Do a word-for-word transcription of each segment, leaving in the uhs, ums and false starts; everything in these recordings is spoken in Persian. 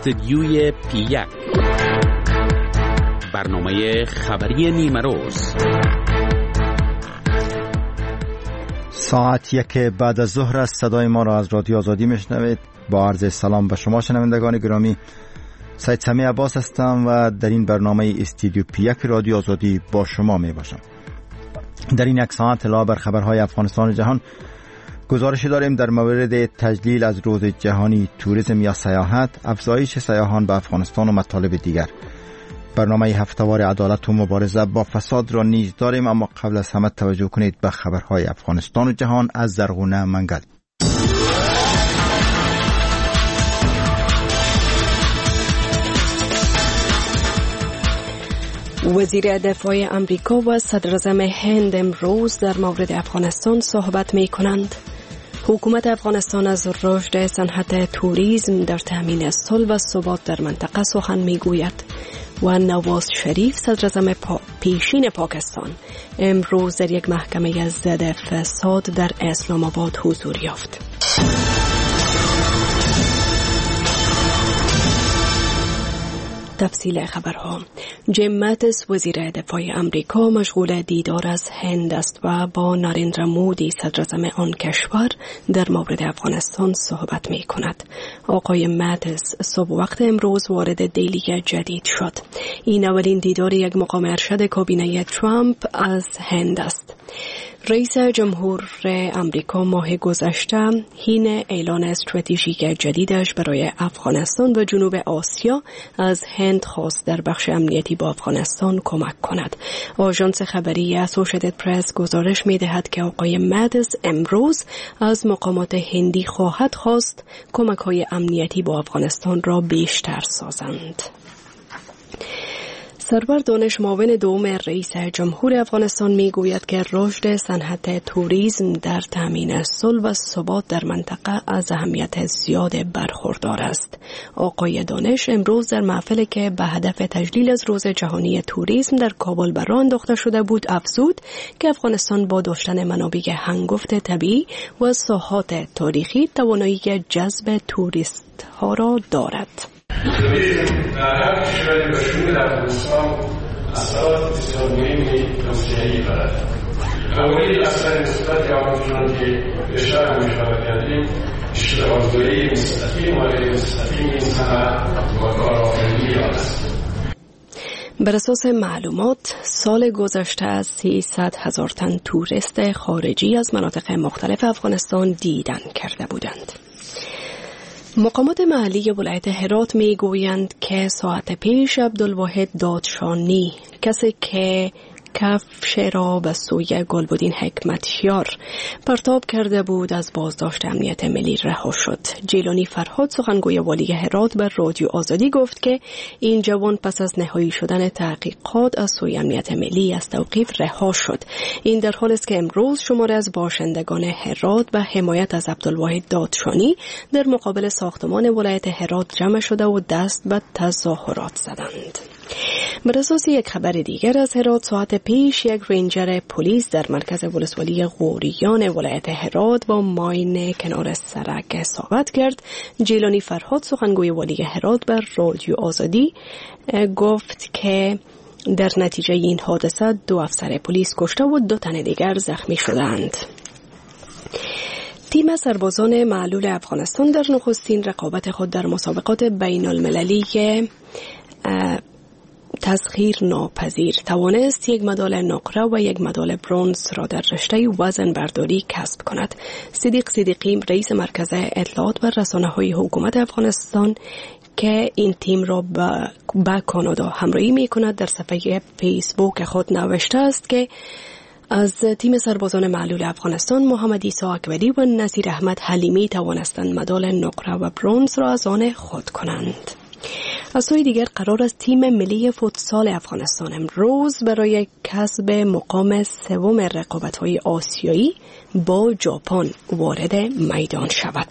استدیوی پی یک، برنامه خبری نیمه روز. ساعت یک بعد از ظهر است. صدای ما را از رادیو آزادی میشنوید. با عرض سلام به شما شنوندگان گرامی، سید سمیع عباس هستم و در این برنامه استودیو پی یک رادیو آزادی با شما می باشم. در این یک ساعت علاوه بر خبرهای افغانستان و جهان گزارشی داریم در مورد تجلیل از روز جهانی توریسم یا سیاحت، افزایش سیاحان به افغانستان و مطالب دیگر. برنامه هفته‌وار عدالت و مبارزه با فساد را نیز داریم، اما قبل از همه توجه کنید به خبرهای افغانستان و جهان از زرغونه منگل. وزیر دفاع امریکا و صدراعظم هند امروز در مورد افغانستان صحبت می کنند. حکومت افغانستان از رشد صنعت توریسم در تامین صلح و ثبات در منطقه سخن می گوید و نواز شریف صدراعظم پا... پیشین پاکستان امروز در یک محکمه ضد فساد در اسلام آباد حضور یافت. تفصیل خبرها. جیم ماتیس وزیر دفاع امریکا مشغول دیدار از هند است و با نارندرا مودی صدراعظم آن کشور در مورد افغانستان صحبت می کند. آقای ماتیس صبح وقت امروز وارد دیلی جدید شد. این اولین دیدار یک مقام ارشد کابینه ترامپ از هند است. رئیس جمهور امریکا ماه گذشته حین اعلان استراتژیک جدیدش برای افغانستان و جنوب آسیا از هند خواست در بخش امنیتی با افغانستان کمک کند. آژانس خبری اسوشیتد پرس گزارش می‌دهد که آقای ماتیس امروز از مقامات هندی خواهد خواست کمک‌های امنیتی با افغانستان را بیشتر سازند. سرور دانش معاون دوم رئیس جمهور افغانستان می گوید که رشد صنعت توریسم در تامین صلح و ثبات در منطقه از اهمیت زیاد برخوردار است. آقای دانش امروز در محفلی که به هدف تجلیل از روز جهانی توریسم در کابل بر راه انداخته شده بود افزود که افغانستان با داشتن منابع هنگفت طبیعی و ساحات تاریخی توانایی جذب توریست ها را دارد. توریسم در هر کشوری به شمول افغانستان اثرات بسیار مهمی توسعه‌ای دارد. اولین اثر مثبت آن چنان که بیشتر هم اشاره کردیم، اشتغالزایی مستقیم و غیر مستقیم این صنعت و کارآفرینی آن است. بر اساس معلومات سال گذشته سیصد هزار تن توریست خارجی از مناطق مختلف افغانستان دیدن کرده بودند. مقامات محلی ولایت هرات می گویند که ساعت پیش عبدالواحد دادشانی، کسی که کفش را به سوی گلبدین حکمتیار پرتاب کرده بود، از بازداشت امنیت ملی رها شد. جیلانی فرهاد سخنگوی والی هرات بر رادیو آزادی گفت که این جوان پس از نهایی شدن تحقیقات از سوی امنیت ملی از توقیف رها شد. این در حال است که امروز شماری از باشندگان هرات به حمایت از عبدالواحد دادشانی در مقابل ساختمان ولایت هرات جمع شده و دست به تظاهرات زدند. بر اساس یک خبر دیگر از هرات، ساعت پیش یک رینجر پلیس در مرکز ولسوالی غوریان ولایت هرات با ماین کنار سرک اصابت کرد. جیلانی فرهاد سخنگوی والی هرات بر رادیو آزادی گفت که در نتیجه این حادثه دو افسر پلیس کشته و دو تن دیگر زخمی شدند. تیم سربازان معلول افغانستان در نخستین رقابت خود در مسابقات بین المللی تسخیر ناپذیر توانست یک مدال نقره و یک مدال برنز را در رشته وزن برداری کسب کند. صدیق صدیقی رئیس مرکز اطلاعات و رسانه‌های حکومت افغانستان که این تیم را به کانادا همراهی می کند در صفحه فیسبوک خود نوشته است که از تیم سربازان معلول افغانستان محمد عیسی اکبری و نصیر احمد حلیمی توانستند مدال نقره و برنز را از آن خود کنند. از سوی دیگر قرار است تیم ملی فوتسال افغانستان امروز برای کسب مقام سوم رقابت‌های آسیایی با ژاپن وارد میدان شود.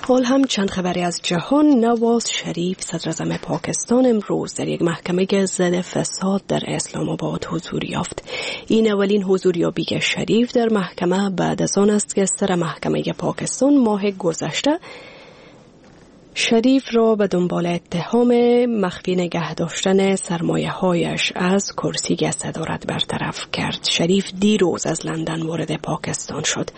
حال هم چند خبری از جهان. نواز شریف صدراعظم پاکستان امروز در یک محکمه ضد فساد در اسلام آباد حضور یافت. این اولین حضوریابی شریف در محکمه بعد از آن است که سر محکمه پاکستان ماه گذشته شریف را به دنبال اتهام مخفی نگه داشتن سرمایه هایش از کرسی صدارت برطرف کرد. شریف دیروز از لندن وارد پاکستان شد.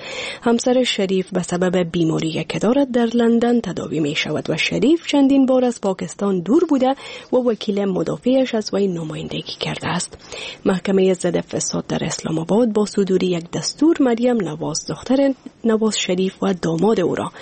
همسر شریف به سبب بیماری که دارد در لندن تداوی می شود و شریف چندین بار از پاکستان دور بوده و وکیل مدافعش از وی نمایندگی کرده است. محکمه ضد فساد در اسلام آباد با صدور یک دستور مریم نواز، دختر نواز شریف و داماد او را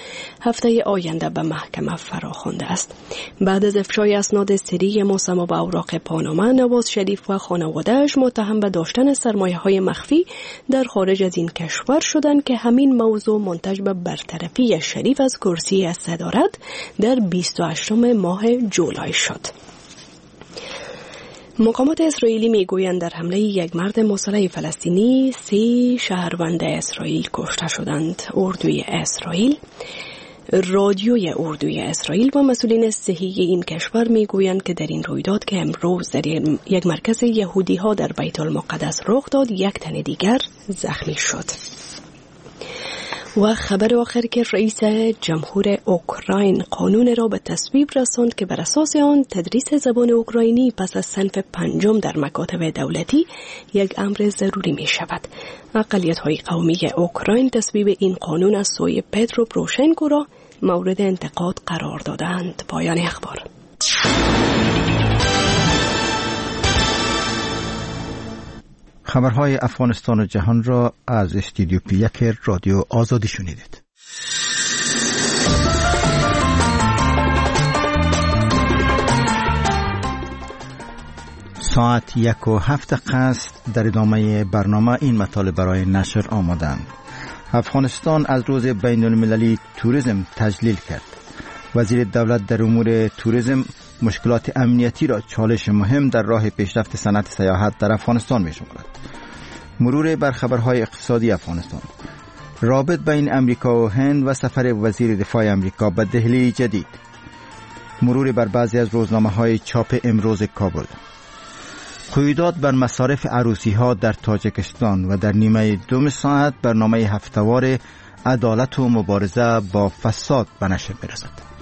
هفته آینده به محکمه فراخوانده است. بعد از افشای اسناد سری مسما به اوراق پاناما، نواز شریف و خانواده‌اش متهم به داشتن سرمایه‌های مخفی در خارج از این کشور شدند که همین موضوع منتج به برطرفی شریف از کرسی صدارت در بیست و هشتم ماه جولای شد. مقامات اسرائیلی میگویند در حمله یک مرد مسلح فلسطینی سه شهروند اسرائیل کشته شدند. اردوی اسرائیل رادیوی اردوی اسرائیل و مسئولین صحی این کشور میگویند که در این رویداد که امروز در یک مرکز یهودی ها در بیت المقدس رخ داد، یک تن دیگر زخمی شد. و خبر آخر که رئیس جمهور اوکراین قانون را به تصویب رساند که بر اساس آن تدریس زبان اوکراینی پس از صنف پنجم در مکاتب دولتی یک امر ضروری می شود. اقلیت های قومی اوکراین تصویب این قانون از سوی پترو پروشنکو را مورد انتقاد قرار دادند. پایان اخبار. خبرهای افغانستان و جهان را از استودیو پی یک رادیو آزادی شنیدید. ساعت یک و هفت دقیقه است. در ادامه برنامه این مطالب برای نشر آمادند. افغانستان از روز بین المللی توریسم تجلیل کرد. وزیر دولت در امور توریسم مشکلات امنیتی را چالش مهم در راه پیشرفت صنعت سیاحت در افغانستان می شمارد. مرور بر خبرهای اقتصادی افغانستان، رابط بین امریکا و هند و سفر وزیر دفاع امریکا به دهلی جدید، مرور بر بعضی از روزنامه‌های چاپ امروز کابل، قیودات بر مصارف عروسی ها در تاجیکستان و در نیمه دوم ساعت برنامه هفته‌وار عدالت و مبارزه با فساد به نشر می‌رسد.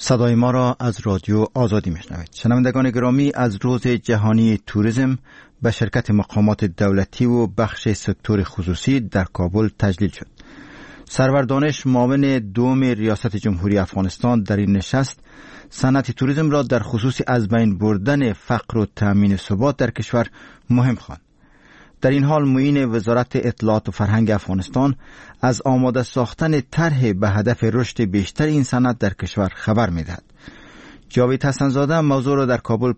صدای ما را از رادیو آزادی میشنوید. شنوندگان گرامی، از روز جهانی توریسم به شرکت مقامات دولتی و بخش سکتور خصوصی در کابل تجلیل شد. سرور دانش، معاون دوم ریاست جمهوری افغانستان، در این نشست صنعت توریسم را در خصوص از بین بردن فقر و تامین ثبات در کشور مهم خواند. در این حال معین وزارت اطلاعات و فرهنگ افغانستان از آماده ساختن طرح به هدف رشد بیشتر این صنعت در کشور خبر می‌دهد. جاوید حسن‌زاده موضوع را در کابل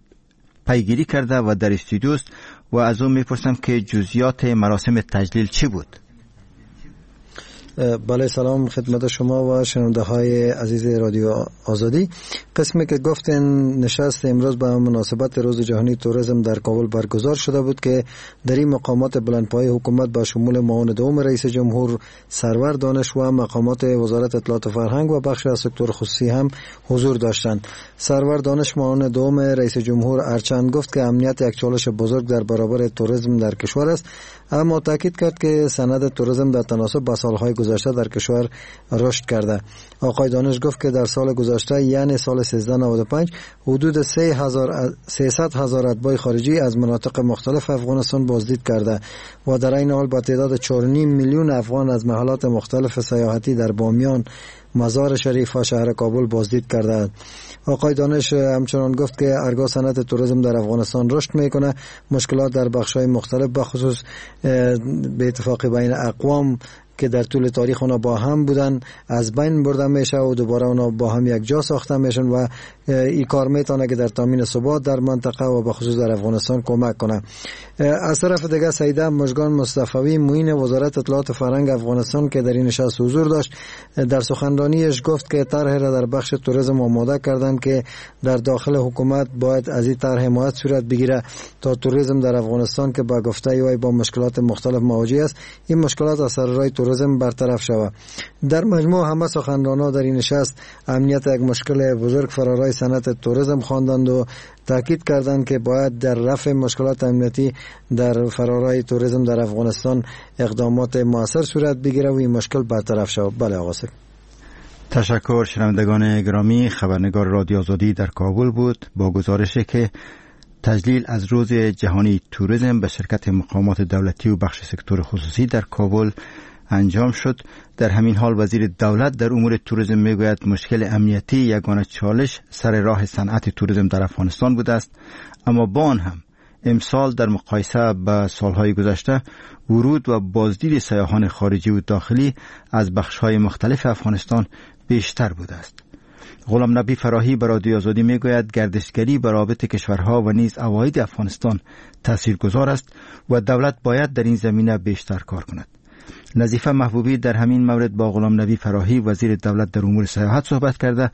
پیگیری کرده و در استودیو است و از او می‌پرسم که جزئیات مراسم تجلیل چی بود؟ بله، سلام خدمت شما و شنونده های عزیز رادیو آزادی. قسمی که گفتن، نشست امروز به مناسبت روز جهانی توریسم در کابل برگزار شده بود که در این مقامات بلندپایه حکومت با شمول معاون دوم رئیس جمهور سرور دانش و مقامات وزارت اطلاعات و فرهنگ و بخش از سکتور خصوصی هم حضور داشتند. سرور دانش، معاون دوم رئیس جمهور، هرچند گفت که امنیت یک چالش بزرگ در برابر توریسم در کشور است، اما تاکید کرد که صنعت توریسم در تناسب با سالهای گذشته در کشور رشد کرده. آقای دانش گفت که در سال گذشته، یعنی سال سیزده نود و پنج، حدود سیصد هزار اتباع خارجی از مناطق مختلف افغانستان بازدید کرده و در این حال با تعداد چهار و نیم میلیون افغان از محلات مختلف سیاحتی در بامیان، مزار شریف و شهر کابل بازدید کرده. آقای دانش همچنان گفت که ارگاه صنعت توریسم در افغانستان رشد میکنه، مشکلات در بخش‌های مختلف به خصوص به اتفاق بین اقوام که در طول تاریخ اونا با هم بودن از بین برده میشه و دوباره اونا با هم یک جا ساخته میشن و این کار میتونه که در تامین ثبات در منطقه و به خصوص در افغانستان کمک کنه. از طرف دیگه سیده مژگان مصطفوی، معین وزارت اطلاعات و فرهنگ افغانستان که در این نشست حضور داشت، در سخنرانیش گفت که طرح را در بخش توریسم آماده کردند که در داخل حکومت باید از این طرح حمایت صورت بگیره تا توریسم در افغانستان که با گفته وی با مشکلات مختلف مواجه است، این مشکلات از سر راه توریسم برطرف شود. در مجموع همه سخنرانان در این نشست امنیت یک مشکل بزرگ فرارای های صنعت توریسم خواندند و تاکید کردند که باید در رفع مشکلات امنیتی در فرارای توریسم در افغانستان اقدامات موثر صورت بگیره و این مشکل برطرف شود. بله آقا سید. تشکر. شنوندگان گرامی، خبرنگار رادیو آزادی در کابل بود با گزارشی که تجلیل از روز جهانی توریسم به شرکت مقامات دولتی و بخش سکتور خصوصی در کابل انجام شد. در همین حال وزیر دولت در امور توریسم میگوید مشکل امنیتی یگانه چالش سر راه صنعت توریسم در افغانستان بوده است، اما با آن هم امسال در مقایسه با سالهای گذشته ورود و بازدید سیاحان خارجی و داخلی از بخش‌های مختلف افغانستان بیشتر بوده است. غلام نبی فراهی به رادیو آزادی میگوید گردشگری بر رابط کشورها و نیز عواید افغانستان تاثیرگذار است و دولت باید در این زمینه بیشتر کار کند. نظیفه محبوبی در همین مورد با غلام نبی فراهی وزیر دولت در امور سیاحت صحبت کرده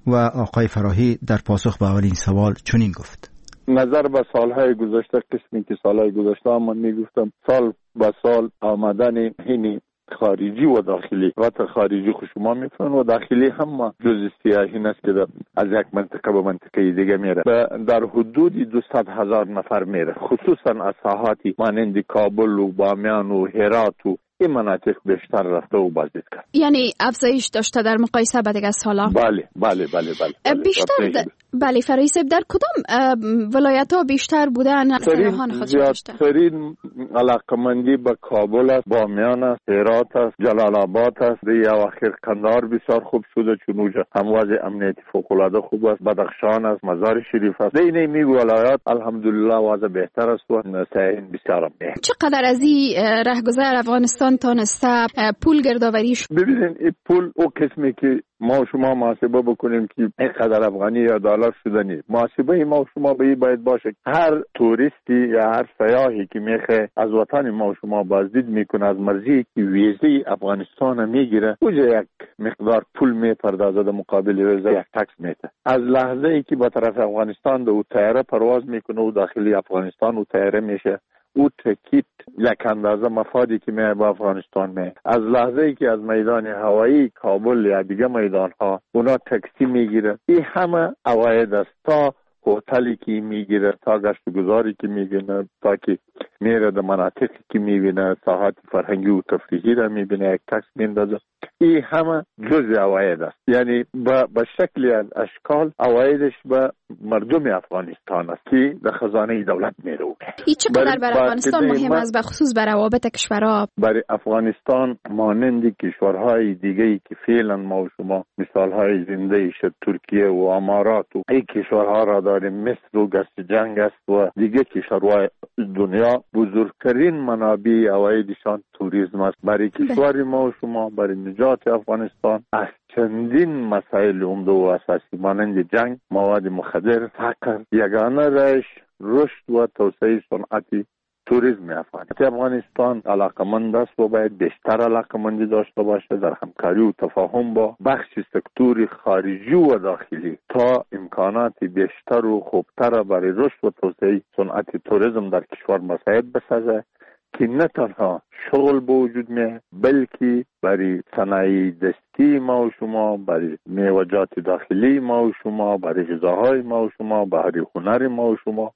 و آقای فراهی در پاسخ به اولین سوال چنین گفت: نظر به سالهای گذشته، قسمی که سالهای گذشته من میگفتم سال به سال آمدن هینی خارجی و داخلی، و خارجی خو شما میفهمن و داخلی هم جز سیاحی است که از یک منطقه به منطقه دیگه میره، در حدود دویست هزار نفر میره، خصوصا از ساحاتی مانند کابل و بامیان و هرات و این مناطق بیشتر رفته و بازدید کرد. یعنی افزایش داشته در مقایسه با دیگر سالا؟ بله بله بله بله, بله. بیشتر د... بله فراهی صاحب، در کدام ولایت ها بیشتر بودن سیاحان خود داشته؟ زیادترین علاقمندی به کابل است، بامیان است، هرات است، جلال آباد است، دی اواخر قندهار بسیار خوب شده چون اونجا هم وضع امنیتی فوق العاده خوب است، بدخشان است، مزار شریف است. دی نیمی ولایات الحمدلله وضع بهتر است و سیاحین بسیار هم. چقدر از این رهگذر افغانستان تانسته پول گردآوری شد؟ ببینید این پول او قسمی که ما و شما محاسبه بکنیم که اینقدر افغانی یا دلار شدنی، محاسبه ما و شما به این باید باشه هر توریستی یا هر سیاحی که میخه از وطن ما و شما بازدید میکنه، از مرزی که ویزه افغانستان میگیره، اوجا یک مقدار پول میپردازه، در مقابل ویزه یک tax میده. از لحظه ای که به طرف افغانستان دو طیاره پرواز میکنه و داخلی افغانستان و طیاره میشه، او ticket یک اندازه مفادی که می به افغانستان می. از لحظه ای که از میدان هوایی کابل یا دیگه میدان ها اونا تاکسی میگیره، این همه عواید است، تا هتلی که میگیره، تا گشت و گذاری که میبینه، تا که میره در مناطقی که میبینه، ساحات فرهنگی و تفریحی را میبینه، یک tax میندازه. این همه جزء عواید است. یعنی به شکلی از اشکال عوایدش به مردم افغانستان است که در خزانه دولت میره. این چقدر برای افغانستان مهم است، به خصوص برای روابط کشورها؟ برای افغانستان مانند کشورهای دیگه که فعلا ما و شما مثالهای زنده شد، ترکیه و امارات و این کشورها را داریم، مصر و گشت جنگ است و دیگه کشورهای دنیا، بزرگترین منابع عوایدشان توریسم است. برای کشور ما و شما، برای نجات افغانستان از چندین مسائل عمده و اساسی مانند جنگ، مواد مخدر، فقر، یگانه روش رشد و توسعه صنعتی توریسم افغانستان. افغانستان علاقمند است و باید بیشتر علاقمندی داشته باشه در همکاری و تفاهم با بخش سکتور خارجی و داخلی تا امکانات بیشتر و خوبتر برای رشد و توسعه صنعت توریسم در کشور مساعد بسازه که نه تنها شغل به وجود میاد، بلکه برای صنایع دستی ما و شما، برای میوه‌جات داخلی ما و شما، برای غذاهای ما و شما، برای هنر ما و شما،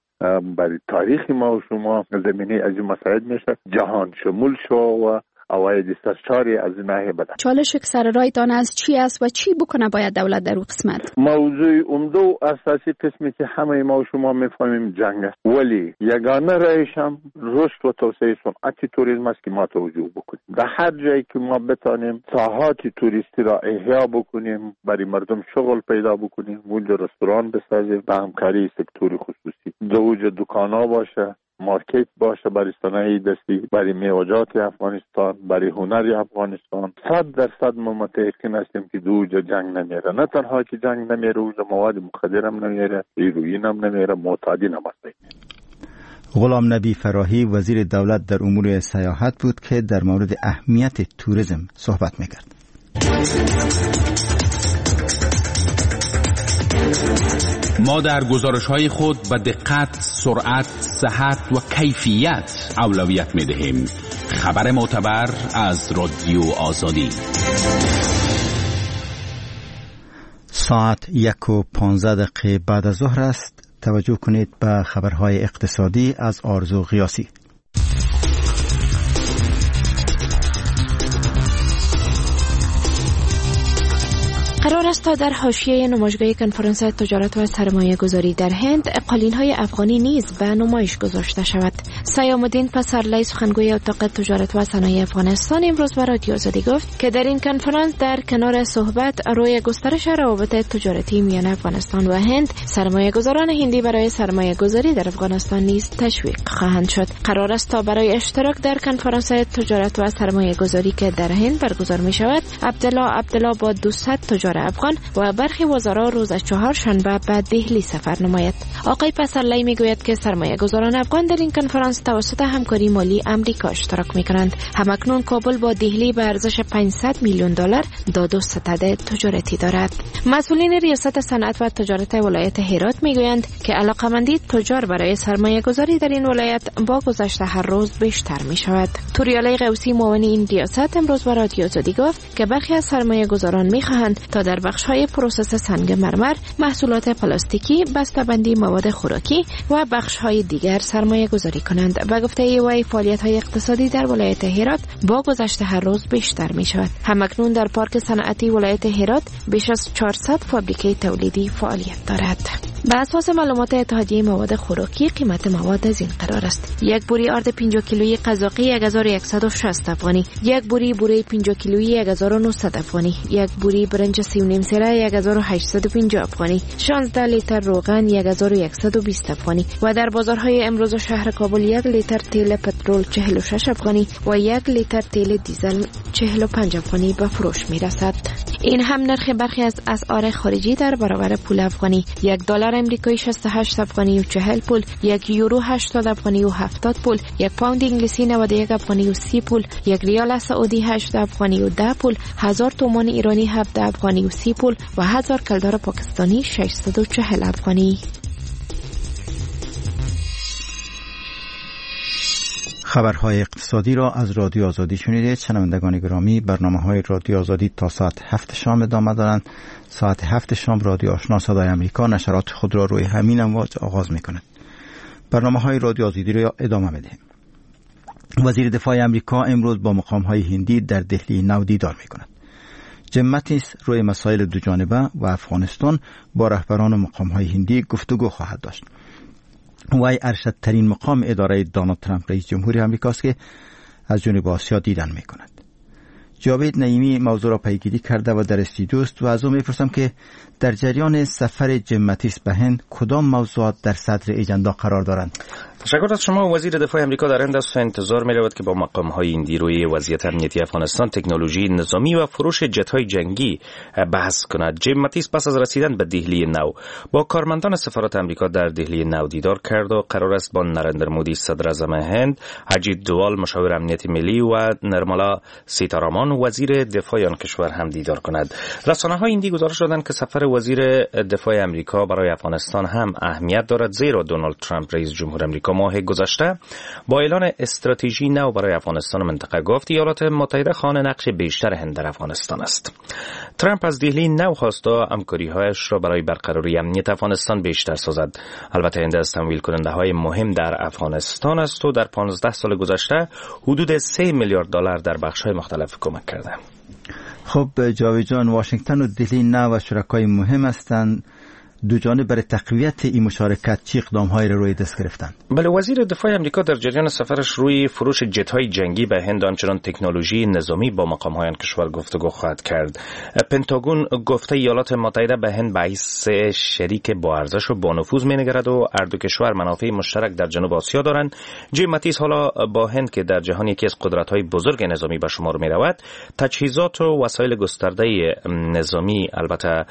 برای تاریخ ما و شما زمینه از این مساعد میشه، جهان شمول شو و عواید سرشاری از این ناحیه بدن. چالش که سر رایتان از چی است و چی بکنه باید دولت در او قسمت؟ موضوع عمده و اساسی قسمی که همه ما و شما میفهمیم جنگ است، ولی یگانه رایش هم رشد و توسعه صنعت توریسم است که ما توجه بکنیم. در هر جایی که ما بتانیم ساحات توریستی را احیا بکنیم، برای مردم شغل پیدا بکنیم، اونجا رستوران بسازیم به همکاری سکتور خصوصی، دوج دکانا باشه، مارکت باشه برای صنایع دستی، برای میوه‌جات افغانستان، برای هنر افغانستان. صد درصد ما متیقن هستیم که دو جا جنگ نمیره. نه تنها که جنگ نمیره، اونجا مواد مخدر هم نمیره، هیروئین هم نمیره، معتادین هم هست. غلام نبی فراهی وزیر دولت در امور سیاحت بود که در مورد اهمیت توریسم صحبت میکرد. ما در گزارش‌های خود به دقت، سرعت، صحت و کیفیت اولویت می‌دهیم. خبر معتبر از رادیو آزادی. ساعت یک و پانزده دقیقه بعد از ظهر است. توجه کنید به خبرهای اقتصادی از آرزو غیاثی. قرار است تا در حاشیه نمایشگاه کنفرانس تجارت و سرمایه گذاری در هند قالین‌های افغانی نیز به نمایش گذاشته شود. سیام الدین پسرلی سخنگوی اتاق تجارت و صنایع افغانستان امروز به رادیو آزادی گفت که در این کنفرانس در کنار صحبت روی گسترش روابط تجارتی میان افغانستان و هند، سرمایه گذاران هندی برای سرمایه گذاری در افغانستان نیز تشویق خواهند شد. قرار است تا برای اشتراک در کنفرانس تجارت و سرمایه گذاری که در هند برگزار می شود، عبدالله عبدالله با دویست تجار افغان و برخی وزرا روز چهارشنبه به دهلی سفر نماید. آقای پسرلی میگوید که سرمایه گذاران افغان در این کنفرانس توسط همکاری مالی امریکا اشتراک میکنند. همکنون کابل با دهلی به ارزش پانصد میلیون دلار داد و ستد تجارتی دارد. مسئولین ریاست صنعت و تجارت ولایت هرات میگویند که علاقمندی تجار برای سرمایه گذاری در این ولایت با گذشت هر روز بیشتر میشود. توریالی غوثی معاون این ریاست امروز به رادیو آزادی گفت که برخی از سرمایه گذاران میخواهند تا در بخش‌های پروسس سنگ مرمر، محصولات پلاستیکی، بسته‌بندی مواد خوراکی و بخش‌های دیگر سرمایه گذاری کنند. به گفته وی فعالیت‌های اقتصادی در ولایت هرات با گذشت هر روز بیشتر می‌شود. همکنون در پارک صنعتی ولایت هرات بیش از چهارصد فابریکه تولیدی فعالیت دارد. به اساس معلومات اتحادیه مواد خوراکی قیمت مواد از این قرار است: یک بوری آرد پنجاه کیلویی قزاقی هزار و صد و شصت افغانی، یک بوری بوره پنجاه کیلویی هزار و نهصد افغانی، یک بوری برنج سی و نیم سیره هزار و هشتصد و پنجاه افغانی، شانزده لیتر روغن هزار و صد و بیست افغانی و در بازارهای امروز شهر کابل یک لیتر تیل پترول چهل و شش افغانی و یک لیتر تیل دیزل چهل و پنج افغانی به فروش می رسد. این هم نرخ برخی از اسعار خارجی در برابر پول افغانی: یک دلار امریکایی شصت و هشت افغانی و چهل پول، یک یورو هشتاد افغانی و هفتاد پول، یک پوند انگلیسی نود و یک افغانی و سی پول، یک ریال سعودی هشت افغانی و ده پول، هزار تومان ایرانی هفده افغانی و سی پول و هزار کلدار پاکستانی ششصد و چهل افغانی. خبرهای اقتصادی را از رادیو آزادی شنیدید. شنوندگان گرامی، برنامه‌های رادیو آزادی تا ساعت هفت شام ادامه دارند. ساعت هفت شام رادیو آشنا صدای آمریکا نشرات خود را روی همین امواج آغاز می‌کند. برنامه‌های رادیو آزادی را ادامه می‌دهیم. وزیر دفاع آمریکا امروز با مقام‌های هندی در دهلی نو دیدار می‌کند. جیم ماتیس روی مسائل دو جانبه و افغانستان با رهبران و مقام‌های هندی گفتگو خواهد داشت. وی ارشدترین مقام اداره دونالد ترامپ رئیس جمهوری آمریکاست که از جنوب آسیا دیدن میکند. جاوید نعیمی موضوع را پیگیری کرده و در استودیو است و از او میپرسم که در جریان سفر جیم ماتیس به هند کدام موضوعات در صدر اجندا قرار دارند؟ تشکر از شما. وزیر دفاع آمریکا در هند است و انتظار می‌رود که با مقام‌های هندی روی وضعیت امنیتی افغانستان، تکنولوژی نظامی و فروش جت‌های جنگی بحث کند. جیم ماتیس پس از رسیدن به دهلی نو با کارمندان سفارت آمریکا در دهلی نو دیدار کرد و قرار است با نرندر مودی صدر اعظم هند، اجیت دوال مشاور امنیت ملی و نرمالا سیتارامان وزیر دفاع آن کشور هم دیدار کند. رسانه‌های هندی گزارش دادند که سفر وزیر دفاع آمریکا برای افغانستان هم اهمیت دارد، زیرا دونالد ترامپ رئیس جمهور آمریکا ماه گذشته با اعلان استراتژی نو برای افغانستان و منطقه گفت ایالات متحده خواهان نقش بیشتر هند در افغانستان است. ترامپ از دهلی نو خواست تا همکاری‌هایش را برای برقراری امنیت افغانستان بیشتر سازد. البته هند از تمویل کننده های مهم در افغانستان است و در پانزده سال گذشته حدود سه میلیارد دلار در بخش‌های مختلف کمک کرده. خب جاوید جان، واشنگتن و دهلی نو و شرکای مهم هستند. دو جانب برای تقویت این مشارکت چه اقدام‌هایی را روی دست گرفتند؟ بله، وزیر دفاع آمریکا در جریان سفرش روی فروش جت‌های جنگی به هند، همچنان تکنولوژی نظامی با مقام‌های آن کشور گفتگو خواهد کرد. پنتاگون گفته ایالات متحده به هند به حیث شریک با ارزش و با نفوذ می‌نگرد و هر دو کشور منافع مشترک در جنوب آسیا دارند. جیم ماتیس حالا با هند که در جهان یکی از قدرت‌های بزرگ نظامی به شمار می‌رود، تجهیزات و وسایل گسترده نظامی البته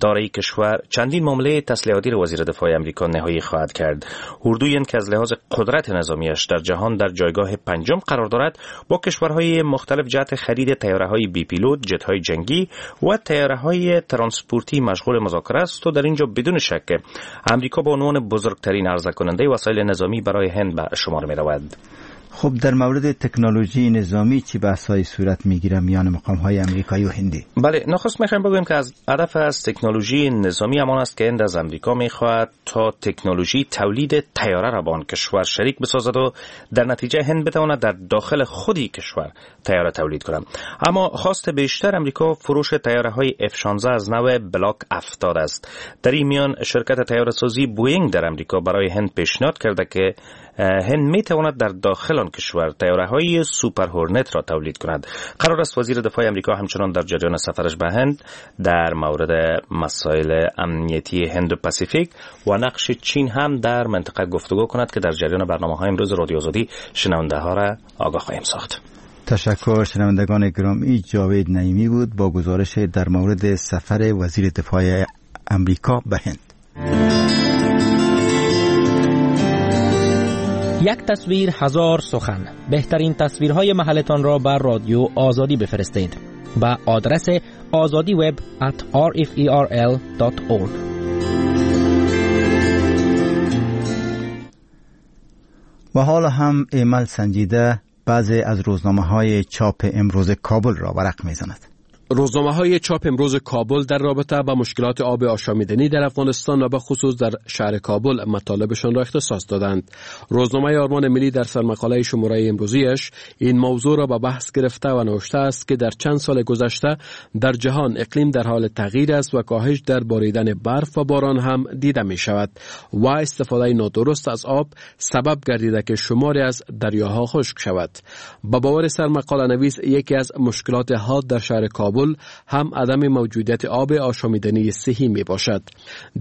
دارای کشور چندین معامله تسلیحاتی را وزیر دفاع آمریکا نهایی خواهد کرد. اردوی که از لحاظ قدرت نظامیش در جهان در جایگاه پنجم قرار دارد، با کشورهای مختلف جهت خرید طیاره‌های بی پیلوت، جت‌های جنگی و طیاره‌های ترانسپورتی مشغول مذاکره است و در اینجا بدون شک آمریکا به عنوان بزرگترین عرضه کننده وسایل نظامی برای هند به شمار می‌رود. خب در مورد تکنولوژی نظامی چی بحث‌های صورت میگیره میان مقام‌های امریکایی و هندی؟ بله، نخست میخوایم بگوییم که از هدف از تکنولوژی نظامی همان است که هند از امریکا میخواهد تا تکنولوژی تولید طیاره را با آن کشور شریک بسازد و در نتیجه هند بتواند در داخل خودی کشور طیاره تولید کند. اما خواست بیشتر امریکا فروش طیاره های اف شانزده از نوع بلاک هفتاد است. در این میان شرکت طیاره سازی بوئینگ در امریکا برای هند پیشنهاد کرده که هند می تواند در داخل آن کشور طیاره های سوپر هورنت را تولید کند. قرار است وزیر دفاع امریکا همچنان در جریان سفرش به هند در مورد مسائل امنیتی هند و پاسیفیک و نقش چین هم در منطقه گفتگو کند که در جریان برنامه های امروز رادیو آزادی شنونده ها را آگاه خواهیم ساخت. تشکر شنوندگان گرامی، جاوید نعیمی بود با گزارش در مورد سفر وزیر دفاع امریکا به هند. یک تصویر هزار سخن. بهترین تصویرهای محلتان را بر رادیو آزادی بفرستید به آدرس آزادی وب ات آر اف ای آر ال دات اورگ. و حالا هم ایمل سنجیده بعضی از روزنامه‌های چاپ امروز کابل را ورق می‌زند. روزنامه های چاپ امروز کابل در رابطه با مشکلات آب آشامیدنی در افغانستان و به خصوص در شهر کابل مطالبشان را اختصاص دادند. روزنامه آرمان ملی در سرمقاله شماره امروزیش این موضوع را به بحث گرفته و نوشته است که در چند سال گذشته در جهان اقلیم در حال تغییر است و کاهش در باریدن برف و باران هم دیده می شود و استفاده نادرست از آب سبب گردیده که شماری از دریاها خشک شود. به باور سرمقاله نویس یکی از مشکلات حاد در شهر کابل هم عدم موجودیت آب آشامیدنی صحی می باشد.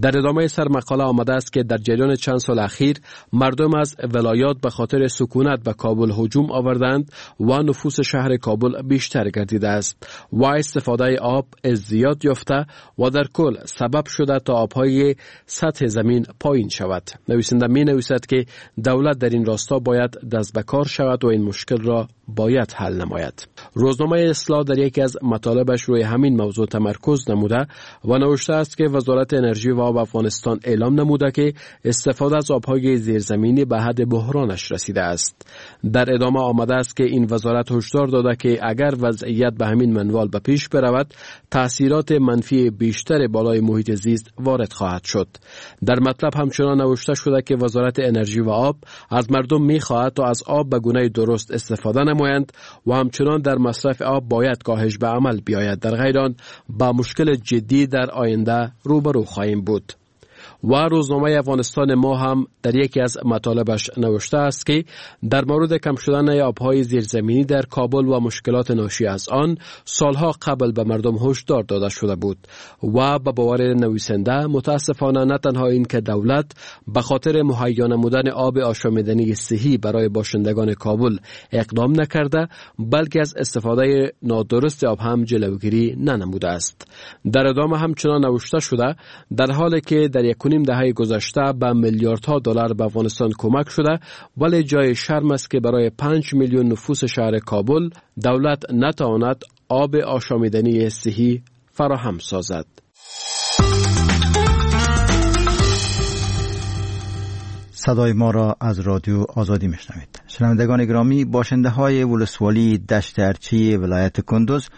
در ادامه سرمقاله آمده است که در جریان چند سال اخیر مردم از ولایات به خاطر سکونت به کابل هجوم آوردند و نفوس شهر کابل بیشتر گردیده است و استفاده آب زیاد یافته و در کل سبب شده تا آبهای سطح زمین پایین شود. نویسنده می نویسد که دولت در این راستا باید دست به کار شود و این مشکل را باید حل نماید. روزنامه اصلاح در یکی از مطالبش روی همین موضوع تمرکز نموده و نوشته است که وزارت انرژی و آب افغانستان اعلام نموده که استفاده از آبهای زیرزمینی به حد بحرانش رسیده است. در ادامه آمده است که این وزارت هشدار داده که اگر وضعیت به همین منوال به پیش برود، تاثیرات منفی بیشتر بالای محیط زیست وارد خواهد شد. در مطلب همچنان نوشته شده که وزارت انرژی و آب از مردم می‌خواهد تا از آب به گونه درست استفاده نمایند و همچنان در مصرف آب باید کاهش به عمل بیاید، در غیر آن با مشکل جدی در آینده روبرو خواهیم بود. و روزنامه افغانستان ما هم در یکی از مطالبش نوشته است که در مورد کم شدن آبهای زیرزمینی در کابل و مشکلات ناشی از آن سالها قبل به مردم هشدار داده شده بود و به باور نویسنده متاسفانه نه تنها این که دولت به خاطر مهیا نمودن آب آشامیدنی صحی برای باشندگان کابل اقدام نکرده، بلکه از استفاده نادرست آب هم جلوگیری ننموده است. در ادامه همچنان نوشته شده در حالی که در یک نیم دهه گذشته به میلیاردها دلار به افغانستان کمک شده، ولی جای شرم است که برای پنج میلیون نفوس شهر کابل دولت نتواند آب آشامیدنی صحی فراهم سازد. صدای ما را از رادیو آزادی میشنوید. شنوندگان گرامی، باشنده های ولسوالی دشت ارچی ولایت کندوز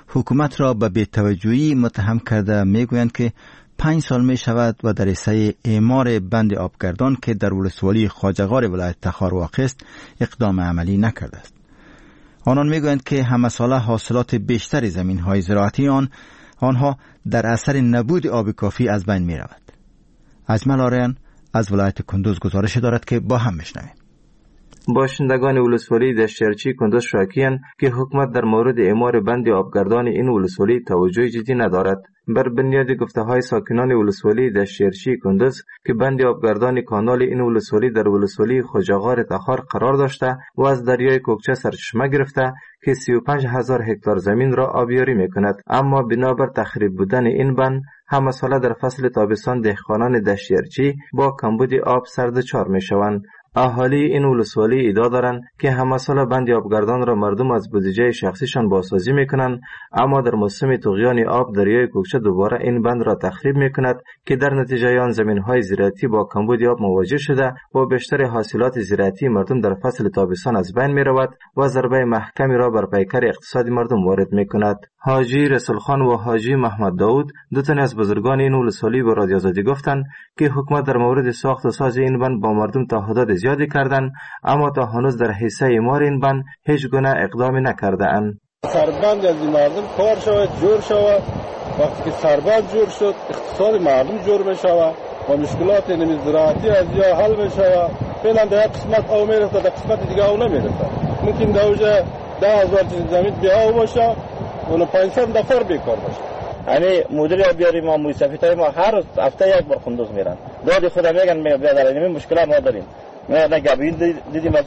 حکومت را به بی‌توجهی متهم کرده میگویند که پنج سال می شود و در حصه اعمار بند آبگردان که در ولسوالی خواجه‌غار ولایت تخار واقع است اقدام عملی نکرده است. آنان میگویند که همه ساله حاصلات بیشتر زمین های زراعتی آن آنها در اثر نبود آب کافی از بین می رود. اجمل آریان از ولایت کندوز گزارش دارد که با هم میشنویم. باشندگان ولسوالی دشت ارچی کندوز شاکی‌اند که حکومت در مورد اعمار بند آبگردان این ولسوالی توجه جدی ندارد. بر بنیاد گفته‌های ساکنان ولسوالی دشت ارچی کندوز که بند آبگردان کانال این ولسوالی در ولسوالی خواجه‌غار تخار قرار داشته و از دریای کوکچه سرچشمه گرفته که سی و پنج هزار هکتار زمین را آبیاری می‌کند، اما بنابر تخریب بودن این بند همه ساله در فصل تابستان دهقانان دشت ارچی با کمبود آب سردچار می‌شوند. اهالی این ولسوالی ادعا دارند که همه سال بند آبگردان را مردم از بودجه شخصیشان بازسازی میکنند، اما در موسم طغیان آب دریای کوکچه دوباره این بند را تخریب میکند که در نتیجه آن زمینهای زراعتی با کمبود آب مواجه شده و بیشتر حاصلات زراعتی مردم در فصل تابستان از بین میرود و ضربه محکمی را بر پیکر اقتصاد مردم وارد میکند. حاجی رسول خان و حاجی محمد داود دو تن از بزرگان این ولسوالی به رادیو آزادی گفتند که حکومت در مورد ساخت و ساز این بند با مردم تعهدات زیادی کردند، اما تا هنوز در حصه اعمار این بند هیچ گونه اقدامی نکرده اند. سربند از این مردم کار شود، جور شود. وقتی که سربند جور شد، اقتصاد مردم جور میشود و مشکلات زراعتی از یا حل میشود. فعلا در یک قسمت آب میرسد، در قسمت دیگه آب نمیرسد. ممکن در اوج ده هزار زمین بی آب باشه و پانصد نفر بیکار باشه. یعنی مدیر آبیاری ما، موسفیتای ما هر هفته یک بار قندوز میرن. داد خدا میگن میگن بیادر این مشکل ما داریم. نه نه گبین دیدیم از